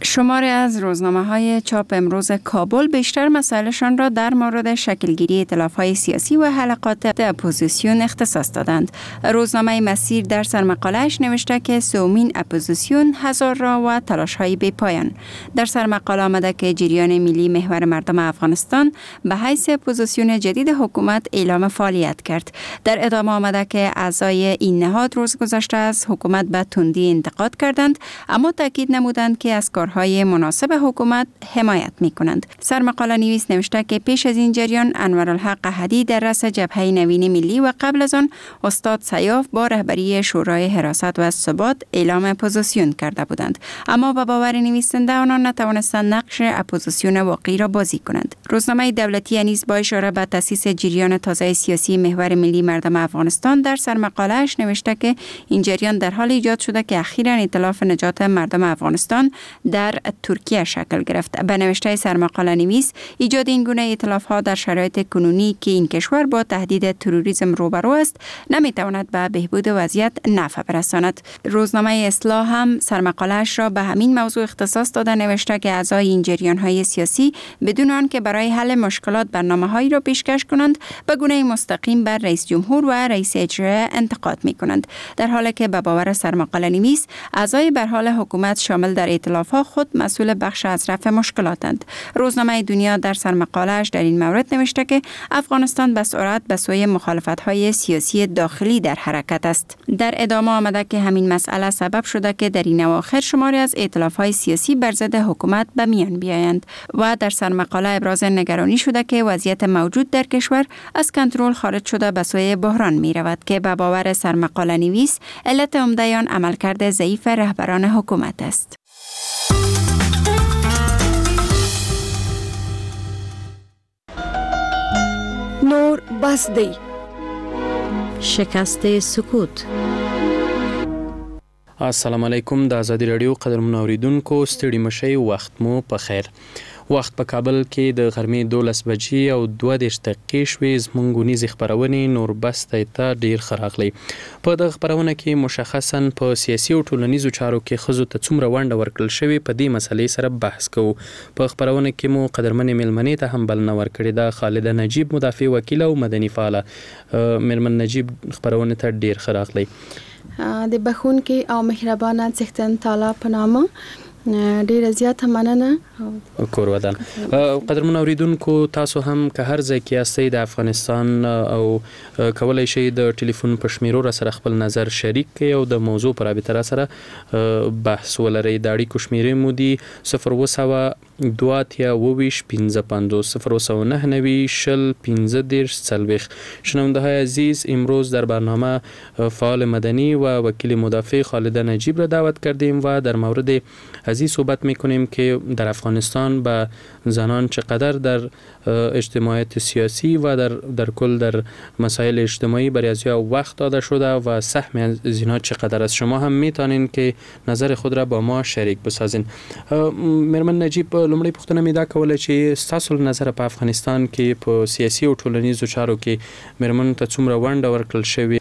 شماری از روزنامه‌های چاپ امروز کابل بیشتر مسائلشان را در مورد شکلگیری ائتلاف‌های سیاسی و حلقات اپوزیسیون اختصاص دادند. روزنامه مسیر در سرمقاله‌اش نوشته که سومین اپوزیسیون هزار را و تلاش‌های بی‌پایان. در سرمقاله آمده که جریان ملی محور مردم افغانستان به حیث اپوزیسیون جدید حکومت اعلام فعالیت کرد. در ادامه آمده که اعضای این نهاد روز گذشته از حکومت به تندی انتقاد کردند، اما تاکید نمودند که از کارهای مناسب حکومت حمایت می کنند. سرمقاله نویس نوشته که پیش از این جریان انورالحق احدی در رأس جبهه نوین ملی و قبل از آن استاد سیاف با رهبری شورای حراست و ثبات اعلام اپوزیسیون کرده بودند، اما به باور نویسنده آنان نتوانستند نقش اپوزیسیون واقعی را بازی کنند. روزنامه دولتی نیز با اشاره به تأسیس جریان تازه سیاسی محور ملی مردم افغانستان در سرمقاله‌اش نوشته که این جریان در حال ایجاد شده که اخیراً ائتلاف نجات مردم افغانستان در ترکیه شکل گرفت. به نوشته سرمقاله نویس، ایجاد این گونه ائتلاف ها در شرایط کنونی که این کشور با تهدید تروریسم روبرو است نمیتواند به بهبود وضعیت نفع برساند. روزنامه اصلاح هم سرمقاله‌اش را به همین موضوع اختصاص داده نوشته که اعضای این جریان های سیاسی بدون آنکه برای حل مشکلات برنامه‌هایی را پیشکش کنند به گونه مستقیم بر رئیس جمهور و رئیس اجرایی انتقاد می‌کنند، در حالی که به باور سرمقاله نویس اعضای برحال حکومت شامل در ائتلاف ها خود مسئول بخش از رفع مشکلاتند. روزنامه دنیا در سرمقاله‌اش در این مورد نوشته که افغانستان به سرعت به سوی مخالفت‌های سیاسی داخلی در حرکت است. در ادامه آمده که همین مسئله سبب شده که در این اواخر شماری از ائتلاف‌های سیاسی بر ضد حکومت به میان بیایند و در سرمقاله ابراز نگرانی شده که وضعیت موجود در کشور از کنترل خارج شده به سوی بحران می‌رود که به باور سرمقاله نویس علت عمده آن عملکرد ضعیف رهبران حکومت است. نور بس دی. شکست سکوت. السلام علیکم د ازادي رادیو قدرمن اوریدونکو، ستړي مشي، وخت مو په خیر. وخت په کابل کې د غرمې 12:32 شوې. زموږ اونیزې خپرونې نور بس ته ډېر ښه راغلی. په دغه خپرونه کې مشخصاً په سیاسي او ټولنیزو چارو کې ښځو ته څومره ونډه ورکړل شوې په دې مسئلې سره بحث کوو. په خپرونه کې مو قدرمنې میلمنې ته هم بلنه ورکړې ده، خالده نجیب مدافع وکیله او مدني فعاله. میرمن نجیب خپرونې ته ډېر ښه راغلی. د بخښونکي او مهربانه څښتن تعالی په نامه. ډیره زیاته مننه. کور ودان. قدرمن اوریدونکو، تاسو هم که هر ځای کې یاستئ د افغانستان او کولای شئ د ټلیفون په شمیرو را سره خپل نظر شریک کړئ او د موضوع په رابطه را سره بحث ولرئ. د اړیکو شمیرې مو دي 0700 82 27 55 0799 20 35 40. شنونده های عزیز، امروز در برنامه فعال مدنی و وکیل مدافع خالده نجیب را دعوت کردیم و در مورد از این صحبت میکنیم که در افغانستان به زنان چقدر در اجتماعیت سیاسی و در کل در مسائل اجتماعی برای ازیا وقت داده شده و سهم از اینها چقدر است. شما هم میتونین که نظر خود را با ما شریک بسازین. میرمن نجیب، لومړۍ پوښتنه مې دا کوله چې ستاسو له نظره په افغانستان کې په سیاسي او ټولنیزو چارو کې میرمنو ته څومره ونډه ورکړل شوې؟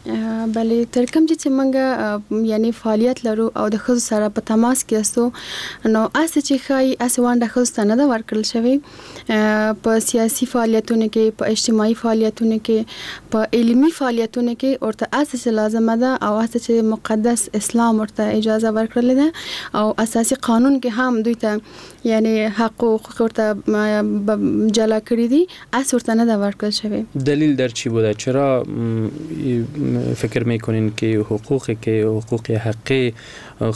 بله، تر کوم چې موږ یعنی فعالیت لرو او د ښځو سره په تماس کې یاستو، نو هسې چې ښایي هسې ونډه ښځو ته نه ده ورکړل شوې. په سیاسي فعالیتونو کې، په اجتماعي فعالیتونو کې، په علمي فعالیتونو کې ورته هسې چې لازمه ده او هسې چې مقدس اسلام ورته اجازه ورکړلې ده او اساسي قانون کې هم دوی ته یعنی حق و حقوق ورته جلا کړي دي، هسې ورته نه ده ورکړل شوې. دلیل در چی بوده؟ چرا فکر میکنین که حقوقی که حقوق حقی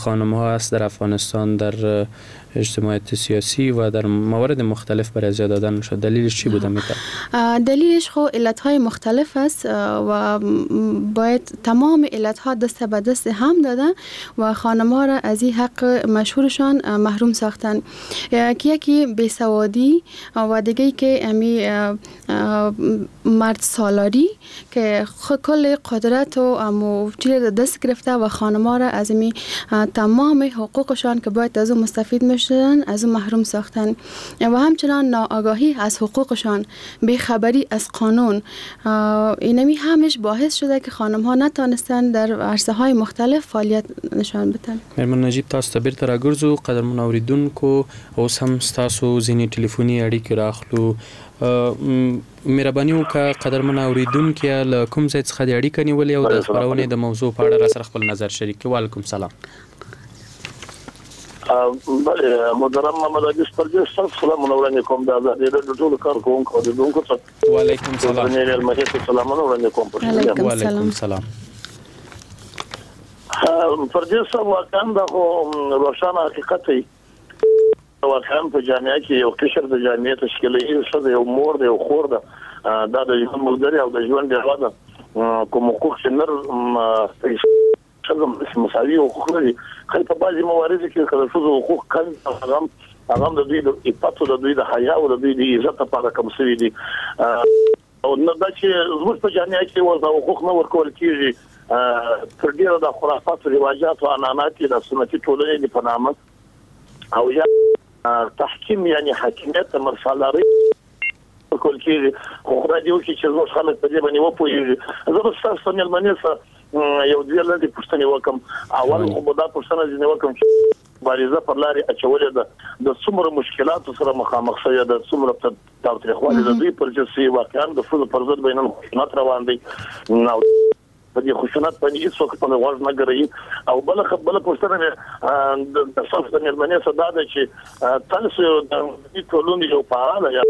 خانم ها است در افغانستان در اجتماعیت سیاسی و در موارد مختلف برای زیاد دادن شد؟ دلیلش چی بوده میتونه؟ دلیلش خو علت‌های مختلف است و باید تمام علت‌ها دست به دست هم داده و خانم‌ها را از این حق مشهورشان محروم ساختن، که یکی بیسوادی و دیگه که امی مرد سالاری که کل قدرت و امو چیز دست گرفته و خانم‌ها را از امی تمام حقوقشان که باید از او مستفید میشدن از او محروم ساختن و همچنان ناآگاهی از حقوقشان، بیخبری از قانون، اینمی همش باعث شده که خانم ها نتانستن در عرصه های مختلف فعالیت نشان بدن. میرمن نجیب، تاسو ته بیرته راګرځو. قدرمن اوریدونکو، اوس هم ستاسو ځینې ټلیفوني اړیکې راخلو. مهرباني وکړه قدرمن اوریدونکیه، له کوم ځای څخه د اړیکه نیولې او د خپرونې د موضوع په اړه را سره خپل نظر شریک کړئ. وعلیکم سلام. بله، محترم محمد عزیز پردیس صاحب، سلامونه وړاندې کوم د ازادي راډیو ټولو کارکوونکو او اورېدونکو ته. وعلیکم سلام. سلامونه وړاندې کوم. وعلیکم سلام. پردیس صاحب، واقعا دا خو روښانه حقیقت دی. واقعا په جامعه کې یو قشر د جامعې تشکیلوي، ښځه یو مور ده، یو خور ده، دا د ژوند ملګری او د ژوند ډېوه ده. کوم حقوق چې نر ښځه مساوي حقوق لري، خو په بعضې مواردو کې که د ښځو حقوق کم، هغه هم د دوی د عفت او د دوی د حیا او د دوی د عزت لپاره کم شوي دي. او نه دا چې زموږ په جامعه کې اوس دا حقوق نه ورکول کېږي، تر ډېره د خرافاتو، رواجاتو، عنعنات د سنتي ټولنې دي په نامه، او یا تحکیم یعنی حاکمیت مرسالاري ورکول کېږي. خو خدای دې وکړي چې زموږ خلک په دې باندې وپوهېږي. زه به ستاسو مېلمنې سره یو دوې لنډې پوښتنې وکړم. اول خو به دا پوښتنه ځینې وکړم چې مبارزه پر لارې اچولې ده، د څومره مشکلاتو سره مخامخ شوې ده، څومره تاوتریخوالی د دوی پر ضد شوی، واقعا د ښځو پر ضد به نن خشونت روان دی او په دې خشونت باندې هېڅوک خپل غوږ نه ګروي. او بله پوښتنه مې د ستاسو د مېرمنې څخه دا ده چې تاسو د مدني ټولنې یو فعاله یا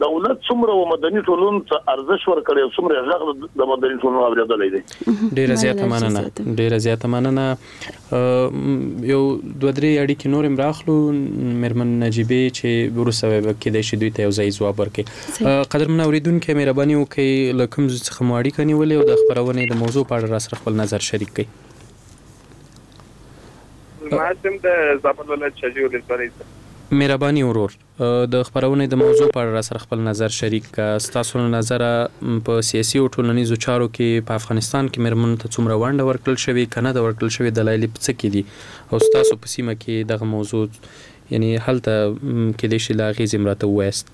دولت څومره و مدني ټولنو ته ارزش ورکړی او څومره غږ د مدني ټولنو اورېدلی دی؟ ډېره زیاته مننه، ډېره زیاته مننه. یو دوه درې اړیکې نور هم راخلو مېرمن نجیبې، چې وروسته به کېدای شي دوی ته یو ځای ځواب ورکړي. قدرمن اورېدونکی، مهرباني وکړئ له کوم ځای څخه مو اړیکه نیولې او د خپرونې د موضوع په اړه را سره خپل نظر شریک کړئ. زما سم د زابل ولایت شاجوی ولسوالۍ څخه. مهرباني ورور، د خپرونې د موضوع په اړه را سره خپل نظر شریک که. ستاسو له نظره په سیاسي او ټولنیزو چارو کې په افغانستان کې مېرمنو ته څومره ونډه ورکړل شوې، که نه ده ورکړل شوې، دلایل یې په څه کې دي، او ستاسو په سیمه کې دغه موضوع یعنی هلته کېدای شي له اغېزې هم راته ووایاست؟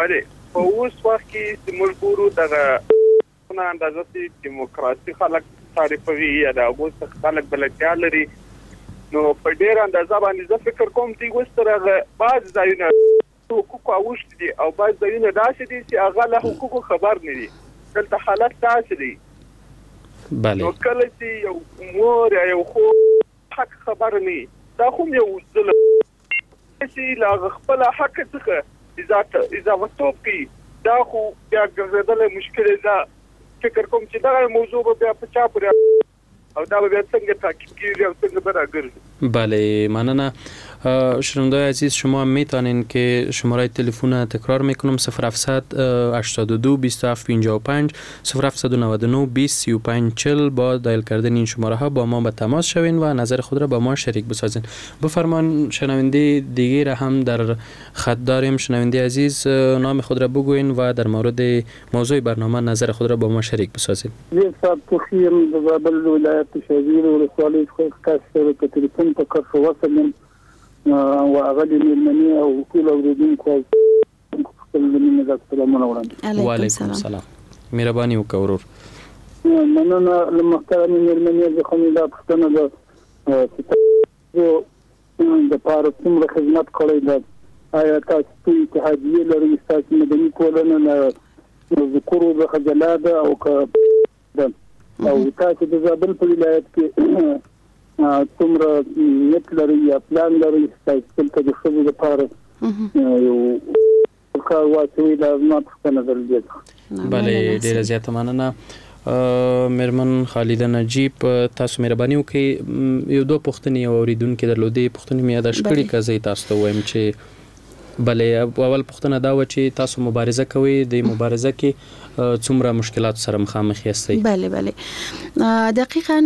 بله، په اوس وخت کې چې موږ ګورو دغه اندازه چې دیموکراسي خلک تعریفوي یا د هغو څخه خلک بلدتیا لري، نو په ډېره اندازه باندې زه فکر کوم دوی اوس تر هغه بعض ځایونه حقوقو اوښتي دي او بعض ځایونه داسې دي چې هغه له حقوقو خبر نه دي. دلته حالت داسې دی. بله. نو کله چې یو مور یا یو خور حق خبر نه، دا خو یو ظلم چې له خپل حق څخه اضافه توب کوي، دا خو بیا ګرځېدلی مشکل ده. فکر کوم چې دغه موضوع به بیا په چا پورې او دا به بیا څنګه تعقیب کیږي او څنګه به راګرځي. بله مننه. شنونده‌های عزیز، شما میتونین که شماره تلفن تکرار میکنم 0782 27 55 0799 20 35 40 با دایل کردن این شماره ها با ما به تماس شوین و نظر خود را با ما شریک بسازین. بفرمان شنونده دیگه را هم در خط داریم. شنونده عزیز، نام خود را بگوین و در مورد موضوع برنامه نظر خود را با ما شریک بسازین. زه صاحب توخیم د زابل ولایت شهزیر ولسوالۍ څخه تاسو سره په تلفن په کرښه وصل یم او اغلې مېرمنې او ټول اورېدونکو خپل د مینې ډک سلامونه وړاندې. وعلیکم سلام، مهرباني وکړه ورور. مننه له محترمې مېرمنې څخه مې دا پوښتنه ده چې تاسو دپاره څومره خدمت کړی ده؟ آیا تاسو څه اتحادیې لرئ؟ ستاسو مدني ټولنه له ذکورو څخه جلا ده او که ده؟ او تاسو د زابل په ولایت کې څومره نیت لرئ یا پلان لرئ چې دلته د ښځو لپاره یو کار واچوئ؟ دا زما پوښتنه ده له دې څخه. بله، ډېره زیاته مننه. میرمن خالده نجیب، تاسو مهرباني وکړئ یو دوه پوښتنې یو اورېدونکي درلودې، پوښتنې مې یاداشت کړي که زه یې تاسو ته ووایم چې بله اول پوښتنه دا وه چې تاسو مبارزه کوئ، د مبارزه کې څومره مشکلات سره مخامخ یاستئ؟ بله بله، دقیقا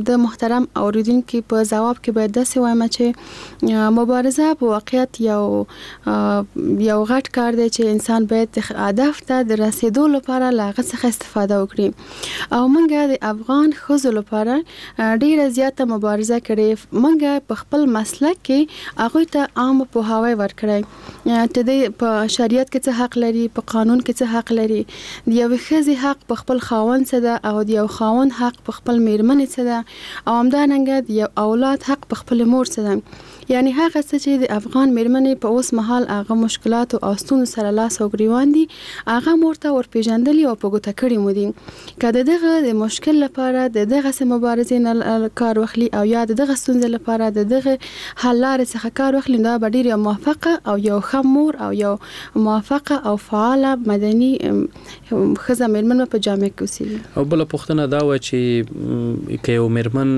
د محترم اوریدونکي په ځواب کې باید داسې وایم چې مبارزه په واقعیت یو غټ کار دی چې انسان باید هدف ته د رسیدو لپاره له هغه څخه استفاده وکړي. او موږ د افغان ښځو لپاره ډیره زیاته مبارزه کړې. موږ په خپل مسلک کې هغوی ته عام پوهاوی ورکړی چې دی په شریعت کې څه حق لري، په قانون کې څه حق لري، د یوې ښځې حق په خپل خاوند څه ده او د یو خاوند حق په خپل میرمنې څه ده او همدارنګه د یو اولاد حق په خپل مور څه ده. یعنی هغه څه چې د افغان میرمنې په اوس مهال هغه مشکلاتو او ستونزو سره لاس او ګریوان دي، هغه مور ته ورپېژندلي او په ګوته کړي مو دي. که د دغه د مشکل لپاره د دغسې مبارزې نه کار واخلي او یا د دغه ستونزې لپاره د دغه حل لارې څخه کار واخلي، دا به ډېر یو موافقه او یو ښه مور او یو موافقه او فعاله مدني ښځه میرمن به په جامعه کې اوسېږي. او بله پوښتنه دا وه چې که یو میرمن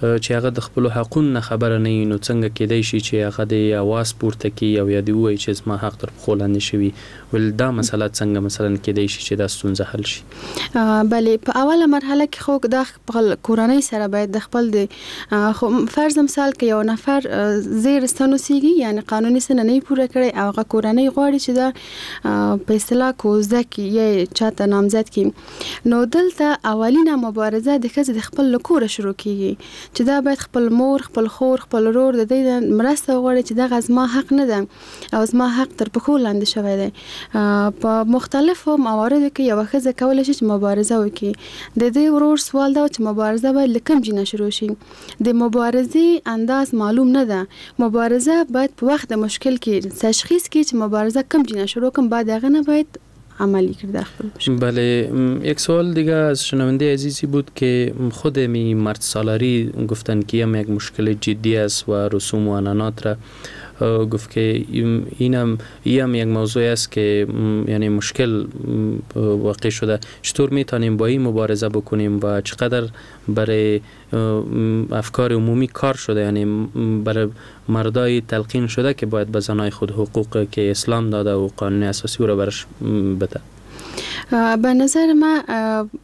چې هغه د خپلو حقونو نه خبره نه وي، نو څنګه کېدای شي چې هغه د اواز پورته کړي او یا دې ووایي چې زما حق تر پښو لاندې شوي؟ ول دا مسله څنګه مثلا کېدای شي چې دا ستونزه حل شي؟ بله، په اوله مرحله کې خو دا خپل کورنۍ سره باید د خپل د فرض مثال که یو نفر زیر سن اوسېږي، یعنی قانوني سن نه پوره کړی او هغه کورنۍ غواړي چې دا په اصطلاح کوزده کړي یا چاته نامزد کړي، نو دلته اولینه مبارزه د ښځې د خپل له کوره شروع کیږي چې دا باید خپل مور، خپل خور، خپل ورور د دې مرسته وغواړي چې دغه زما حق نه ده او زما حق تر پښو لاندې شوی دی. په مختلفو مواردو کې یوه ښځه کولی شي چې مبارزه وکړي. د دې ورور سوال دا چې مبارزه باید له کوم ځای نه شروع شي؟ د مبارزې انداز معلوم نه ده. مبارزه باید په وخت د مشکل کې تشخیص کړي چې مبارزه کوم ځای نه شروع کړم، بعد هغه نه باید عملی کرده خپل مشکل. بله، یک سوال دیگه از شنونده عزیزی بود که خود می مرد سالاری گفتن که هم یک مشکل جدی است و رسوم و عنعنات را گفت که اینم یک موضوع است که یعنی مشکل واقع شده. چطور میتونیم با این مبارزه بکنیم و چقدر برای افکار عمومی کار شده، یعنی برای مردای تلقین شده که باید به زنای خود حقوق که اسلام داده و قانون اساسی رو برش بده؟ به نظر من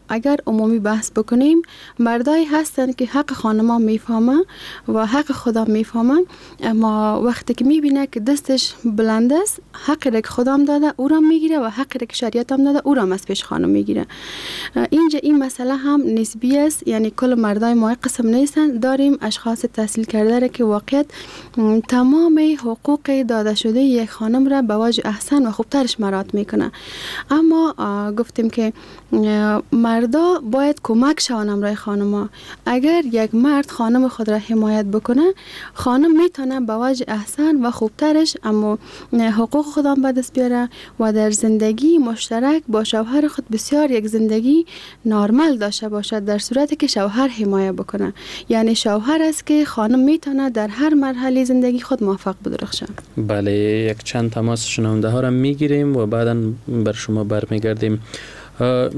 اگر عمومی بحث بکنیم، مردایی هستند که حق خانما میفهمه و حق خدا میفهمه، اما وقتی که میبینه که دستش بلند است، حق را که خدا داده او را میگیره و حق را که شریعت هم داده او را از پیش خانم میگیره. اینجا این مسئله هم نسبی است، یعنی کل مردای ما قسم نیستن. داریم اشخاص تحصیل کرده را که واقعیت تمام حقوق داده شده یک خانم را به وجه احسن و خوبترش مراعات میکنه، اما گفتیم که مردا باید کمک شوند همراه خانم‌ها. اگر یک مرد خانم خود را حمایت بکنه، خانم میتونه به وجه احسن و خوبترش اما حقوق خود هم به دست بیاره و در زندگی مشترک با شوهر خود بسیار یک زندگی نارمل داشته باشد، در صورتی که شوهر حمایت بکنه. یعنی شوهر است که خانم میتونه در هر مرحله زندگی خود موفق بدرخشه. بله، یک چند تماس شنونده ها را میگیریم و بعدا بر شما برمیگردیم.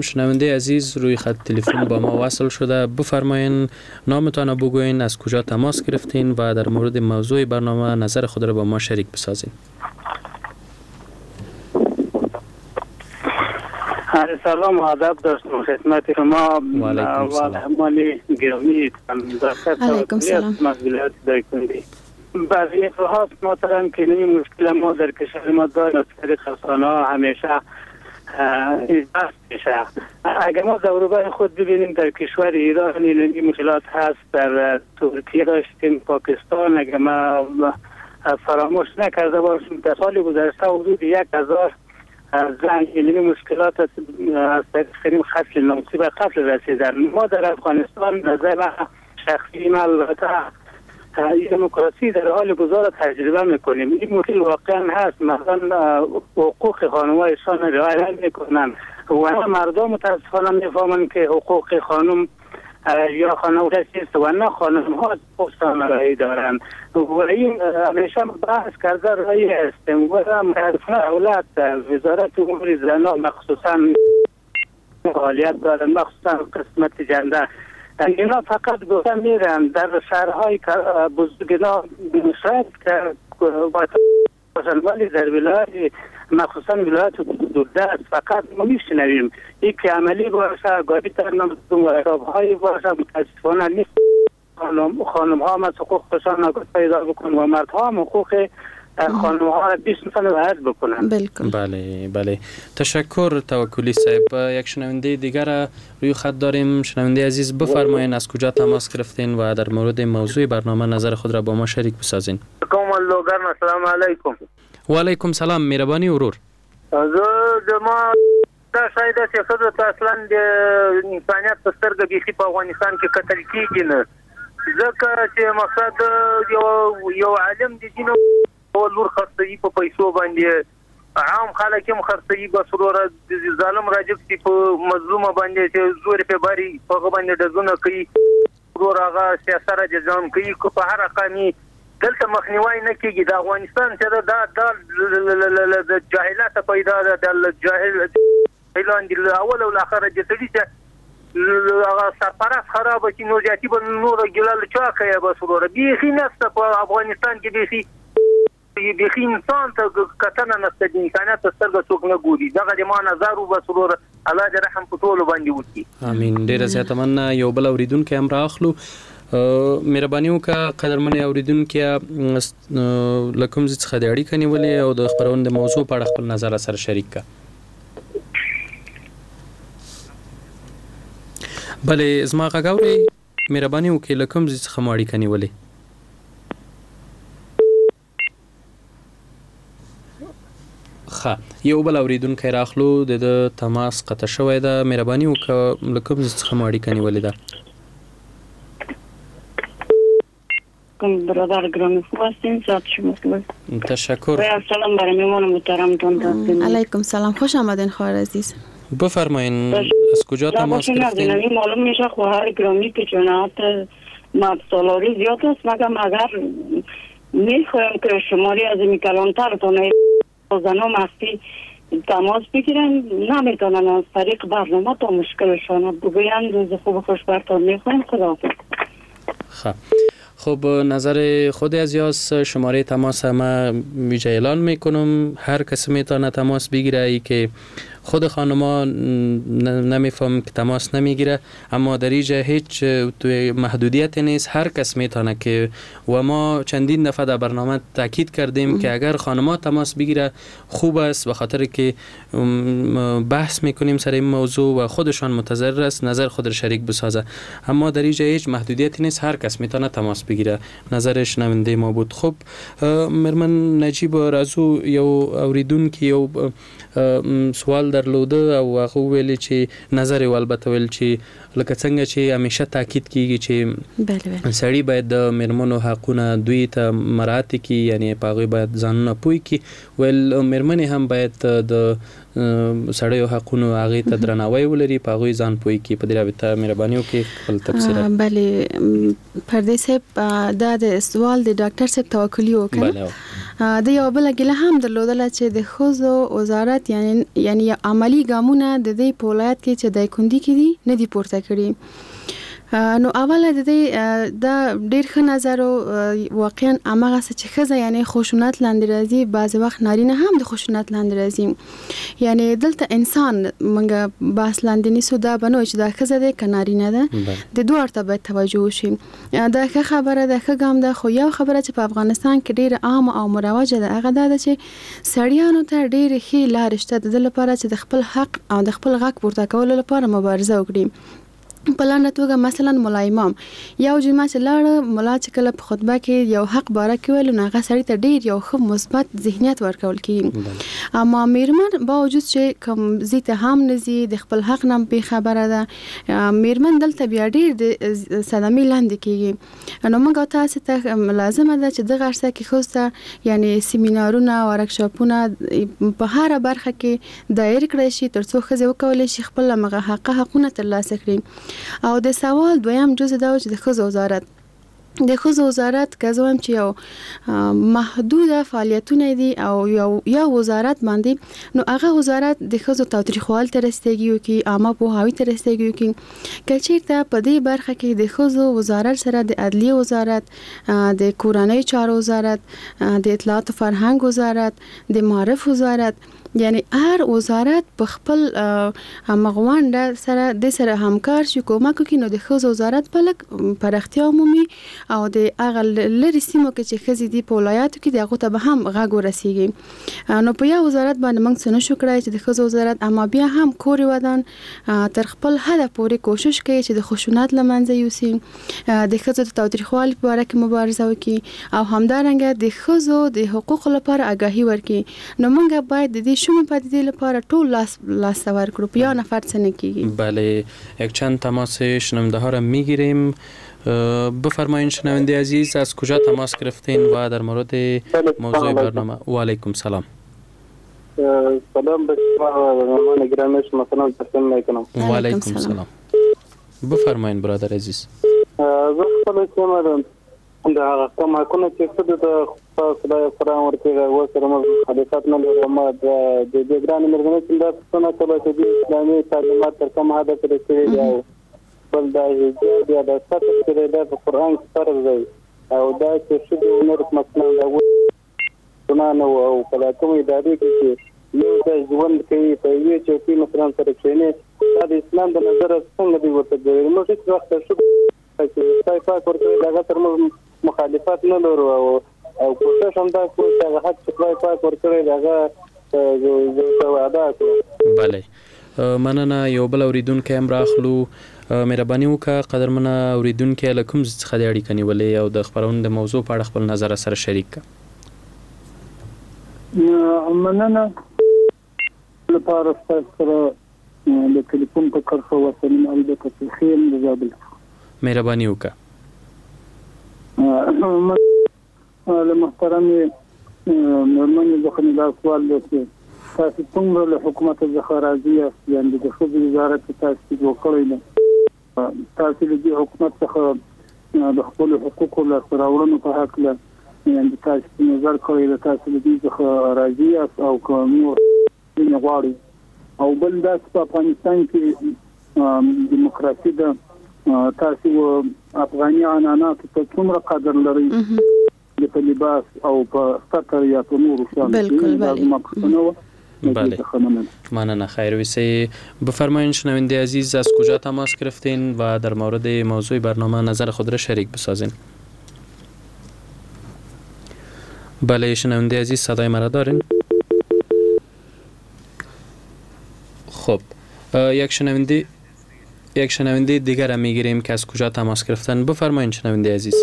شنونده عزیز روی خط تلفن با ما وصل شده، بفرمایین نامتان بگوین، از کجا تماس گرفتین و در مورد موضوع برنامه نظر خود را با ما شریک بسازین. سلام و ادب داشتم خدمت شما و مهمان گرامی. علیکم سلام. برای اتفاق محترم که این مشکل ما در کشور ما داریم از طریق رسانه ها همیشه بحث میشه. اگر ما دور خود ببینیم در کشور ایران این مشکلات هست، در ترکیه داشتیم، پاکستان، اگر ما فراموش نکرده باشیم در سال گذشته حدود 1000 زن این مشکلات از طریق قتل ناموسی به قتل رسیدن. ما در افغانستان نظر شخصی من البته دموکراسی در حال گذار تجربه میکنیم. این مشکل واقعا هست، مثلا حقوق خانم‌هایشان رعایت میکنن و مردم متاسفانه میفهمن که حقوق خانم یا خانم چیست و نه خانم ها حقوق رای دارن و این همیشه بحث کرده رای هستیم و متاسفانه دولت وزارت امور زنان مخصوصا فعالیت دارن، مخصوصا قسمت جنده اینا فقط گفته میرن در شهرهای بزرگ اینا شاید که باشن، ولی در ولایت مخصوصا ولایت دوردست فقط ما میشنویم یکی عملی باشه گاهی در نام باشه. متاسفانه نیست خانم ها از حقوق خودشان پیدا بکن و مردها هم حقوق خانم ها را 20 رعایت بکنن. بالکل. بله بله، تشکر توکلی صاحب. یک شنونده دیگر روی خط داریم. شنونده عزیز بفرمایین از کجا تماس گرفتین و در مورد موضوع برنامه نظر خود را با ما شریک بسازین. السلام علیکم. و علیکم سلام، مهربانی ورور. زه د ما دا شاید چې ښځو ته اصلا د انسانیت په سترګه بیخي په افغانستان کې کتل کېږي نه، ځکه چې مقصد یو عالم د دین لور خرڅوي په پیسو باندې، عام خلک هم خرڅوي، بس وروره ظالم راجب سي په مظلومه باندې چې زور یې پرې باري په هغه باندې ډزونه کوي، ورور هغه سیاسه را ځان کوي، که په هر قامي دلته مخنیوی نه کېږي. د افغانستان چې ده دا د جاهلته پیدا ده، د جاهلان دي له اوله او له اخره د سړي چې هغه سرپرست خرابه کړي نو زیاتي به نوره ګیله له چا کوي؟ بس وروره بیخي نشته په افغانستان کې، بیخي انسان ته کتنه نشته، د انسانیت په سترګه څوک نه ګوري. دغه د ما نظر و، بس وروره الله دې رحم په ټولو باندې وکړي. امین. ډېره زیاته مننه. یو بل اورېدونکی هم را اخلو. مهرباني وکړه قدرمن اورېدونکي، له کوم ځای څخه د اړیکه نیولې او د خپرونې د موضوع په اړه خپل نظر سره شریک کړه. بله زما غږ اورئ؟ مهرباني وکړئ له کوم ځای څخه مو اړیکه نیولې؟ ښه، یو بل اورېدونکی راخلو، د ده تماس قطع شوی ده. مهرباني وکړه له کوم ځای څخه مو اړیکه نیولې ده؟ برادر گرامی خوب هستین؟ ساعت شما خوب. تشکر. سلام برای میمان محترمتون. علیکم سلام، خوش آمدین خواهر عزیز. بفرمایین از کجا تماس گرفتین؟ معلوم میشه خواهر گرامی که جناحت مرد سالاری زیاد است، مگم اگر میخوایم که شماری از این کلانترتون زنها مخفی تماس بگیرن نمیتونن از طریق برنامه تا مشکلشان بگوین. روز خوب خوش برتان میخوایم. خداحافظ. خب خب، نظر خود از یاس شماره تماس ما ویژه اعلان میکنم، هر کسی میتونه تماس بگیره. ای که خود خانما نمیفهم که تماس نمیگیره، اما در اینجا هیچ محدودیت نیست، هر کس میتونه که و ما چندین دفعه در برنامه تاکید کردیم که اگر خانما تماس بگیره خوب است، به خاطر که بحث میکنیم سر این موضوع و خودشان متضرر است نظر خود را شریک بسازه. اما در اینجا هیچ محدودیت نیست، هر کس میتونه تماس بگیره. نظر شنونده ما بود. خب مرمن نجیب رازو یو اوریدونکي یو سوال درلوده او هغه وویل چې نظر یې البته ویل چې لکه څنګه چې همیشه تاکید کیږي چې سړي باید د میرمنو حقونه دوی ته مراعات کړي، یعنی په هغوی باید ځانونه پوه کړي، ویل میرمنې هم باید د سړیو حقونو هغې ته درناوی ولري، په هغوی ځان پوه کړي. په دې رابطه مهرباني وکړئ خپل تبصره. بله پردې صاحب، دا د سوال د ډاکټر صاحب توکلي و کنه؟ د یو بل ګیله هم درلودله چې د ښځو وزارت یعنی عملی ګامونه د دې په ولایت کې چې دایکندي کې دي نه دي پورته کړي. نو اوله د دې دا ډیر ښه نظر و، واقعا هماغه څه چې ښځه یعنی خشونت لاندې راځي، بعضې وخت نارینه هم د خشونت لاندې راځي، یعنی دلته انسان موږ بحث لاندې نیسو، دا به نه وي چې دا ښځه دی که نارینه ده، د دواړو ته باید توجه وشي. دا ښه خبره ده، ښه ګام ده، خو یو خبره چې په افغانستان کې ډیره عامه او مروجه ده هغه دا ده چې سړیانو ته ډېرې ښې لارې شته د دې لپاره چې د خپل حق او د خپل غږ پورته کولو لپاره مبارزه وکړي. په لنډه توګه مثلا ملا امام یو جمعه چې لاړه، ملا چې کله په خطبه کې یو حق باره کې ویل نو هغه سړي ته ډیر یو ښه مثبت ذهنیت ورکول کیږي. اما میرمن باوجود چې کوم ځای ته هم نه ځي، د خپل حق نه بې خبره ده، میرمن دلته بیا ډیر د صدمې لاندې کیږي. نو موږ تاسو ته لازمه ده چې دغه عرصه کې ښځو ته یعنی سیمینارونه، ورکشاپونه په هره برخه کې دایر کړی شي ترڅو ښځې وکولی شي خپل همغه حقه حقونه ترلاسه کړي. او د سوال دویم جز دا و چې د ښځو وزارت، د ښځو وزارت که زه وایم چې یو محدوده فعالیتونه دي او یو وزارت باندې، نو هغه وزارت د ښځو تاوتریخوالي ته رسیدګي وکړي، عامه پوهاوي ته رسیدګي وکړي. که چیرته په دې برخه کې د ښځو وزارت سره د عدلیې وزارت، د کورنیو چارو وزارت، د اطلاعات فرهنګ وزارت، د معارف وزارت، یعنی هر وزارت په خپل همغونډه سره د سره همکار شي، کومک وکړي، نو د ښځو وزارت به لږ پراختیا ومومي او د هغه لرې سیمو کې چې ښځې دي په ولایاتو کې د هغو ته به هم غږ ورسیږي. نو په یو وزارت باندې موږ څه نشو کړای چې د ښځو وزارت، اما بیا هم کور ودان تر خپل حده پورې کوشش کوي چې د خشونت له منځه یوسي، د ښځو د تاوتریخوالي په باره کې مبارزه وکړي او همدارنګه د ښځو د حقوقو لپاره اګاهي ورکړي. نو موږ باید د دې شومې پدیدې لپاره ټول لاس ته ورکړو، په یو نفر څه نه کیږي. بله، یک چند تماس شنونده ها را میگیریم. بفرمایین شنونده عزیز، از کجا تماس گرفتین و در مورد موضوع برنامه؟ و علیکم سلام. سلام به شما و مهمان گرامی شما، سلام تقدیم میکنم. و علیکم سلام. بفرمایین برادر عزیز. زه خپله سیمه ده د هغه کوم حقونه چې ښځو ته خدای قرآن ورکړي هغو سره موږ مخالفت نه لرو. ما د دې ګرانې مېرمنې چې دا پوښتنه کوله چې دې اسلامي تعلیمات تر کومه حده پورې کړي دي، او بل دا حجاب یا دا ستر چې دی دا په قرآن کې فرض دی، او دا چې ښځې او نر مثلا د هغوی ګناه نه وو، او په دا کومې ادارې کې چې یو ځای ژوند کوي په یوې چوکۍ مثلا سره کښېني، دا د اسلام د نظره څنګه دوی ورته ګوري؟ موږ هېڅ وخت ښځو چې خدای پاک ورکړی د هغه تر موږ مخالفت نه لرو، او کوشش هم دا کوو چې هغه حق چې خدای پاک ورکړی د هغه ادا کړو. بله مننه. یو بل اوریدونکی هم راخلو. مهرباني وکړه قدرمنه اوریدونکی، له کوم ځای څخه دې اړیکه نیولې او د خپرونې د موضوع په اړه خپل نظر سره شریک کړه. مننه لپاره ستاسو سره د ټلیفون په کرښه وصلیم، البته چې ښه یم د زابل. مهرباني وکړه. له محترمې مېرمنې څخه مې دا سوال دی چې تاسو څومره له حکومت څخه راضي یاست، یعنې د ښځو وزارت چې تاسو جوړ کړی دی، تاسو له دې حکومت څخه د خپلو حقوقو لاسته راوړنو په هکله یعنې تاسو په نظر کړی دی، تاسو له دې څخه راضي یاست او که نور ځینې غواړئ؟ او بل دا چې په افغانستان کې دیموکراسي ده، تاسو افغاني عنعناتو ته څومره قدر لرئ په لباس او په ستر یا په نورو شیانو؟ بالکل. دا زما پوښتنه وه. بله مننه، خیر ویسه. بفرمایین شنونده عزیز، از کجا تماس گرفتین و در مورد موضوع برنامه نظر خود را شریک بسازین؟ بله شنونده عزیز، صدای مرا دارین؟ خب یک شنونده دیگر را میگیریم که از کجا تماس گرفتن. بفرمایین شنونده عزیز.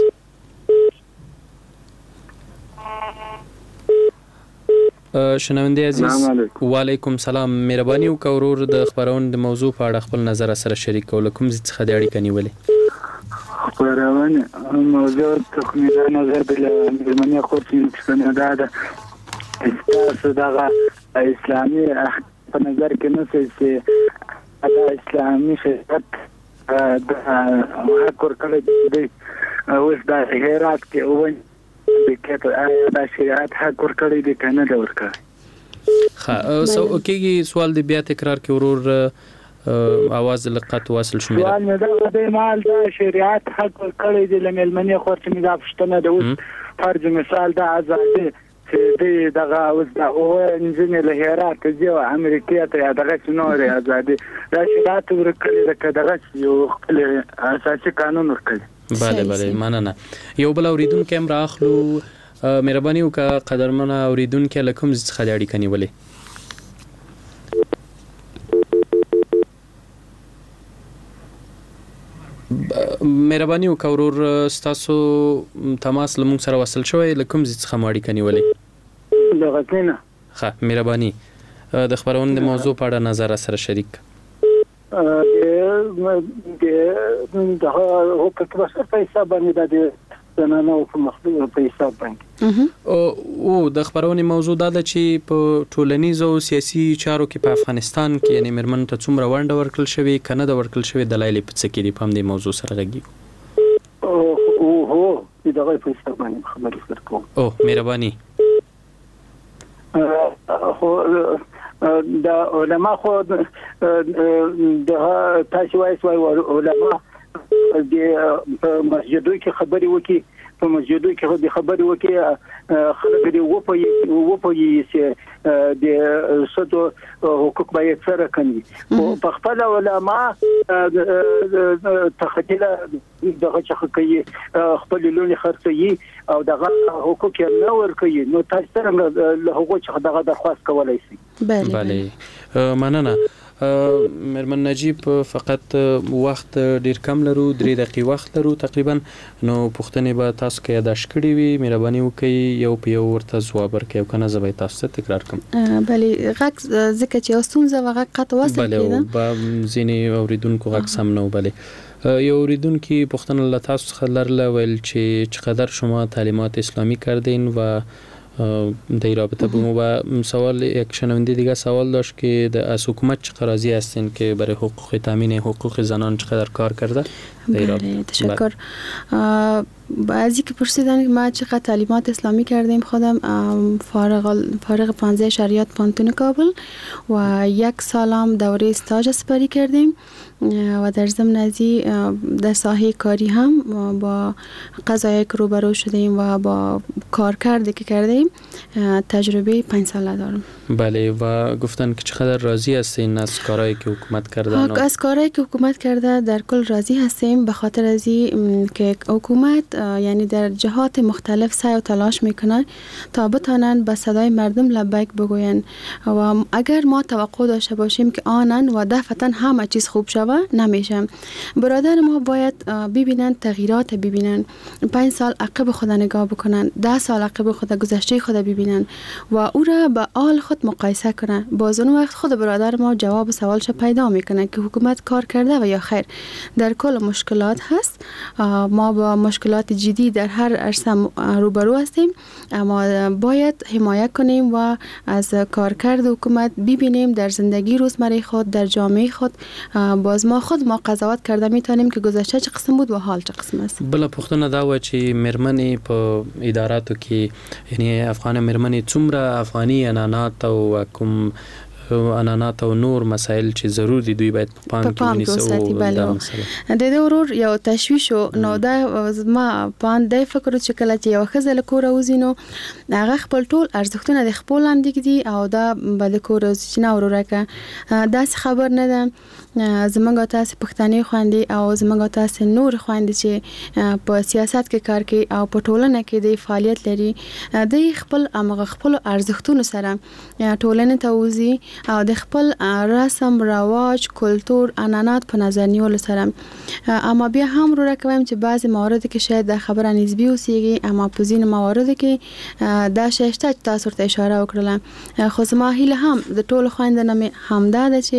شنونده عزیز، و علیکم سلام. مهرباني وکړه ورور، د خپرونې د موضوع په اړه خپل نظر سره شریک کړه، له کوم ځای څخه د اړیکه نیولې؟ خپرونې موضوع تخمینا نظر د مېرمنې خور چې پوښتنه دا ده، ستاسو دغه اسلامي په نظر کې نه سي چې دا اسلامي شریعت د حق ورکړی دی، اوس دا هرات کې دا شریعت حق ورکړی دی که نه دی ورکړی؟ ښه، سو کېږي سوال دی بیا تکرار کې ورور، اواز له قطع وصل شو. سوال مې دغه دی، مال دا شریعت حق ورکړی دی له مېلمنې خور چې مې دا پوښتنه ده، اوس فرض مثال دا ازادي چې دی دغه اوس دا اووه نجونې له هراته ځي او امریکې ته یا دغسې نورې ازادي، دا شریعت ورکړې ده که دغسې یو خپل اساسي قانون ورکړی؟ بله بله، مننه. یو بل اوریدونکی هم را اخلو، مهرباني وکړه قدرمنه اوریدونکی، له کوم ځای څخه د اړیکه نیولې؟ مهرباني وکړه ورور، ستاسو تماس له موږ سره وصل شوی، له کوم ځای څخه مو اړیکه نیولې؟ له غزني نه. ښه، مهرباني، د خپرونې د موضوع په اړه نظر سره شریک. د دغه حقوق بشر په حساب باندې، د زنانو په حساب باندې. او د خپرونې موضوع دا ده چې په ټولنیزو او سیاسي چارو کې په افغانستان کې یعنی مېرمنو ته څومره ونډه ورکړل شوې که نه ده ورکړل شوې، دلایل یې په څه کې دي، په همدې موضوع سره غږېږو. هو، د دغه په حساب باندې خبرې سره کوم. او مهرباني. خو د علما خو د تاسو وایي علما د په مسجدو کې خبرې وکړي، په مسجدو کې د خبرې وکړي، خلک دې وپوهېږي چې د ښځو حقوق باید څه رقم وي. خو په خپله علما تخطیله دغه څخه کوي، خپلې لوڼې خرڅوي او دغه حقوق یې نه ورکوي، نو تاسو څرنګه له هغو څخه دغه درخواست کولی شئ؟ بله، مننه مېرمن نجیب. فقط وخت ډیر کم لرو، 3 دقیقې وخت لرو تقریبا، نو پوښتنې به تاسو که یادداشت کړې وي، مهرباني وکړئ یو په یو ورته ځواب ورکړئ، او که نه زه به یې تاسو ته تکرار کړم. بله، غږ ځکه چې یو ستونزه وه، غږ قطع وصل کېده. بله، ځینې اورېدونکو غږ سم نه و. بله، یو اوریدونکي پوښتنه له تاسو څخه لرله، ویل چې چقدر شما تعلیمات اسلامی کردین و در رابطه با ما، و سوال یک شنونده دیگه سوال داشت که از حکومت چقدر راضی هستین که برای حقوق تامین حقوق زنان چقدر کار کرده؟ بله، تشکر. بعضی که پرسیدن که ما چقدر تعلیمات اسلامی کردیم، خودم فارغ 15 شریعت پوهنتون کابل و 1 سالم دوره استاژ سپری کردیم و در ضمن ازی در ساحه کاری هم با قضایای که روبرو شدیم و با کارکردی که کردیم تجربه 5 ساله دارم. بله، و گفتن که چقدر راضی هستین از کارهایی که حکومت کرده؟ از کارهایی که حکومت کرده در کل راضی هستیم، به خاطر ازی که حکومت یعنی در جهات مختلف سعی و تلاش میکنن تا بتانن به صدای مردم لبیک بگوین، و اگر ما توقع داشته باشیم که آنن و دفعتا همه چیز خوب شوه، نمیشه. برادر ما باید ببینن، تغییرات ببینن، 5 سال عقب خود نگاه بکنن، 10 سال عقب خود، گذشته خود ببینن و او را به آل خود مقایسه کنن. باز اون وقت خود برادر ما جواب سوالش پیدا میکنه که حکومت کار کرده و یا خیر. در کل مشکلات هست، ما با مشکلات جدی در هر عرصه روبرو هستیم، اما باید حمایت کنیم و از کارکرد حکومت ببینیم در زندگی روزمره خود، در جامعه خود. باز ما خود ما قضاوت کرده میتونیم که گذشته چه قسم بود و حال چه قسم است. بله، پوښتنه دا وه چې مېرمنې په اداراتو کې، یعنی افغان مېرمنې څومره افغاني عنعنات او کوم عنعنات او نور مسایل چې ضرور دي دوی باید په پام کې ونیسي؟ بله، د دې ورور یو تشویش نو دا زما پام دی فکر چې کله چې یو ښځه له کوره وځي نو هغه خپل ټول ارزښتونه د خپل لاندې ږدي او دا به د کوره وځي چې نه وروره که داسې خبر نه ده. زمونږ او تاسې پښتنې خویندې او زمونږ او تاسې نور خویندې چې په سیاست کې کار کوي او په ټولنه کې دی فعالیت لري، دی خپل همغه خپلو ارزښتونو سره ټولنې ته وځي او د خپل رسم، رواج، کلتور، عنعنات په نظر نیولو سره. اما بیا هم وروره که وایم چې بعضې مواردو کې شاید دا خبره نسبي اوسیږي، اما په ځینو مواردو کې دا شی شته چې تاسو ورته اشاره وکړله. خو زما هیله هم د ټولو خویندو نه مې همدا ده چې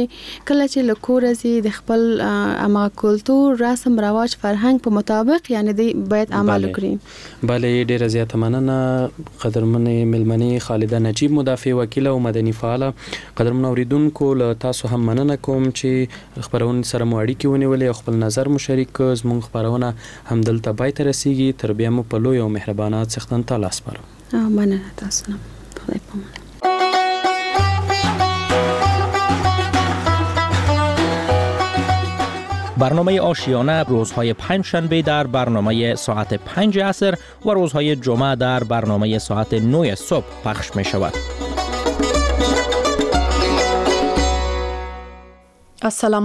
کله چې له کوره ځي د خپل همغه کلتور، رسم، رواج، فرهنګ په مطابق یعنې دوی باید عمل وکړي. بله ډیره زیاته مننه قدرمنې میلمنې خالده نجیب، مدافع وکیله او مدني فعاله. قدرمنو اوریدونکو له تاسو هم مننه کوم چې خپرونې سره مو اړیکې ونیولې او خپل نظر مو شریک کړ. زموږ خپرونه همدلته پای ته رسیږي. تر بیا مو په لوی او مهربانه څښتن تعالی سپارم. مننه تاسو نه، خدای پامان. برنامه آشیانه روزهای پنجشنبه در برنامه ساعت 5 عصر و روزهای جمعه در برنامه ساعت 9 صبح پخش می شود. السلام.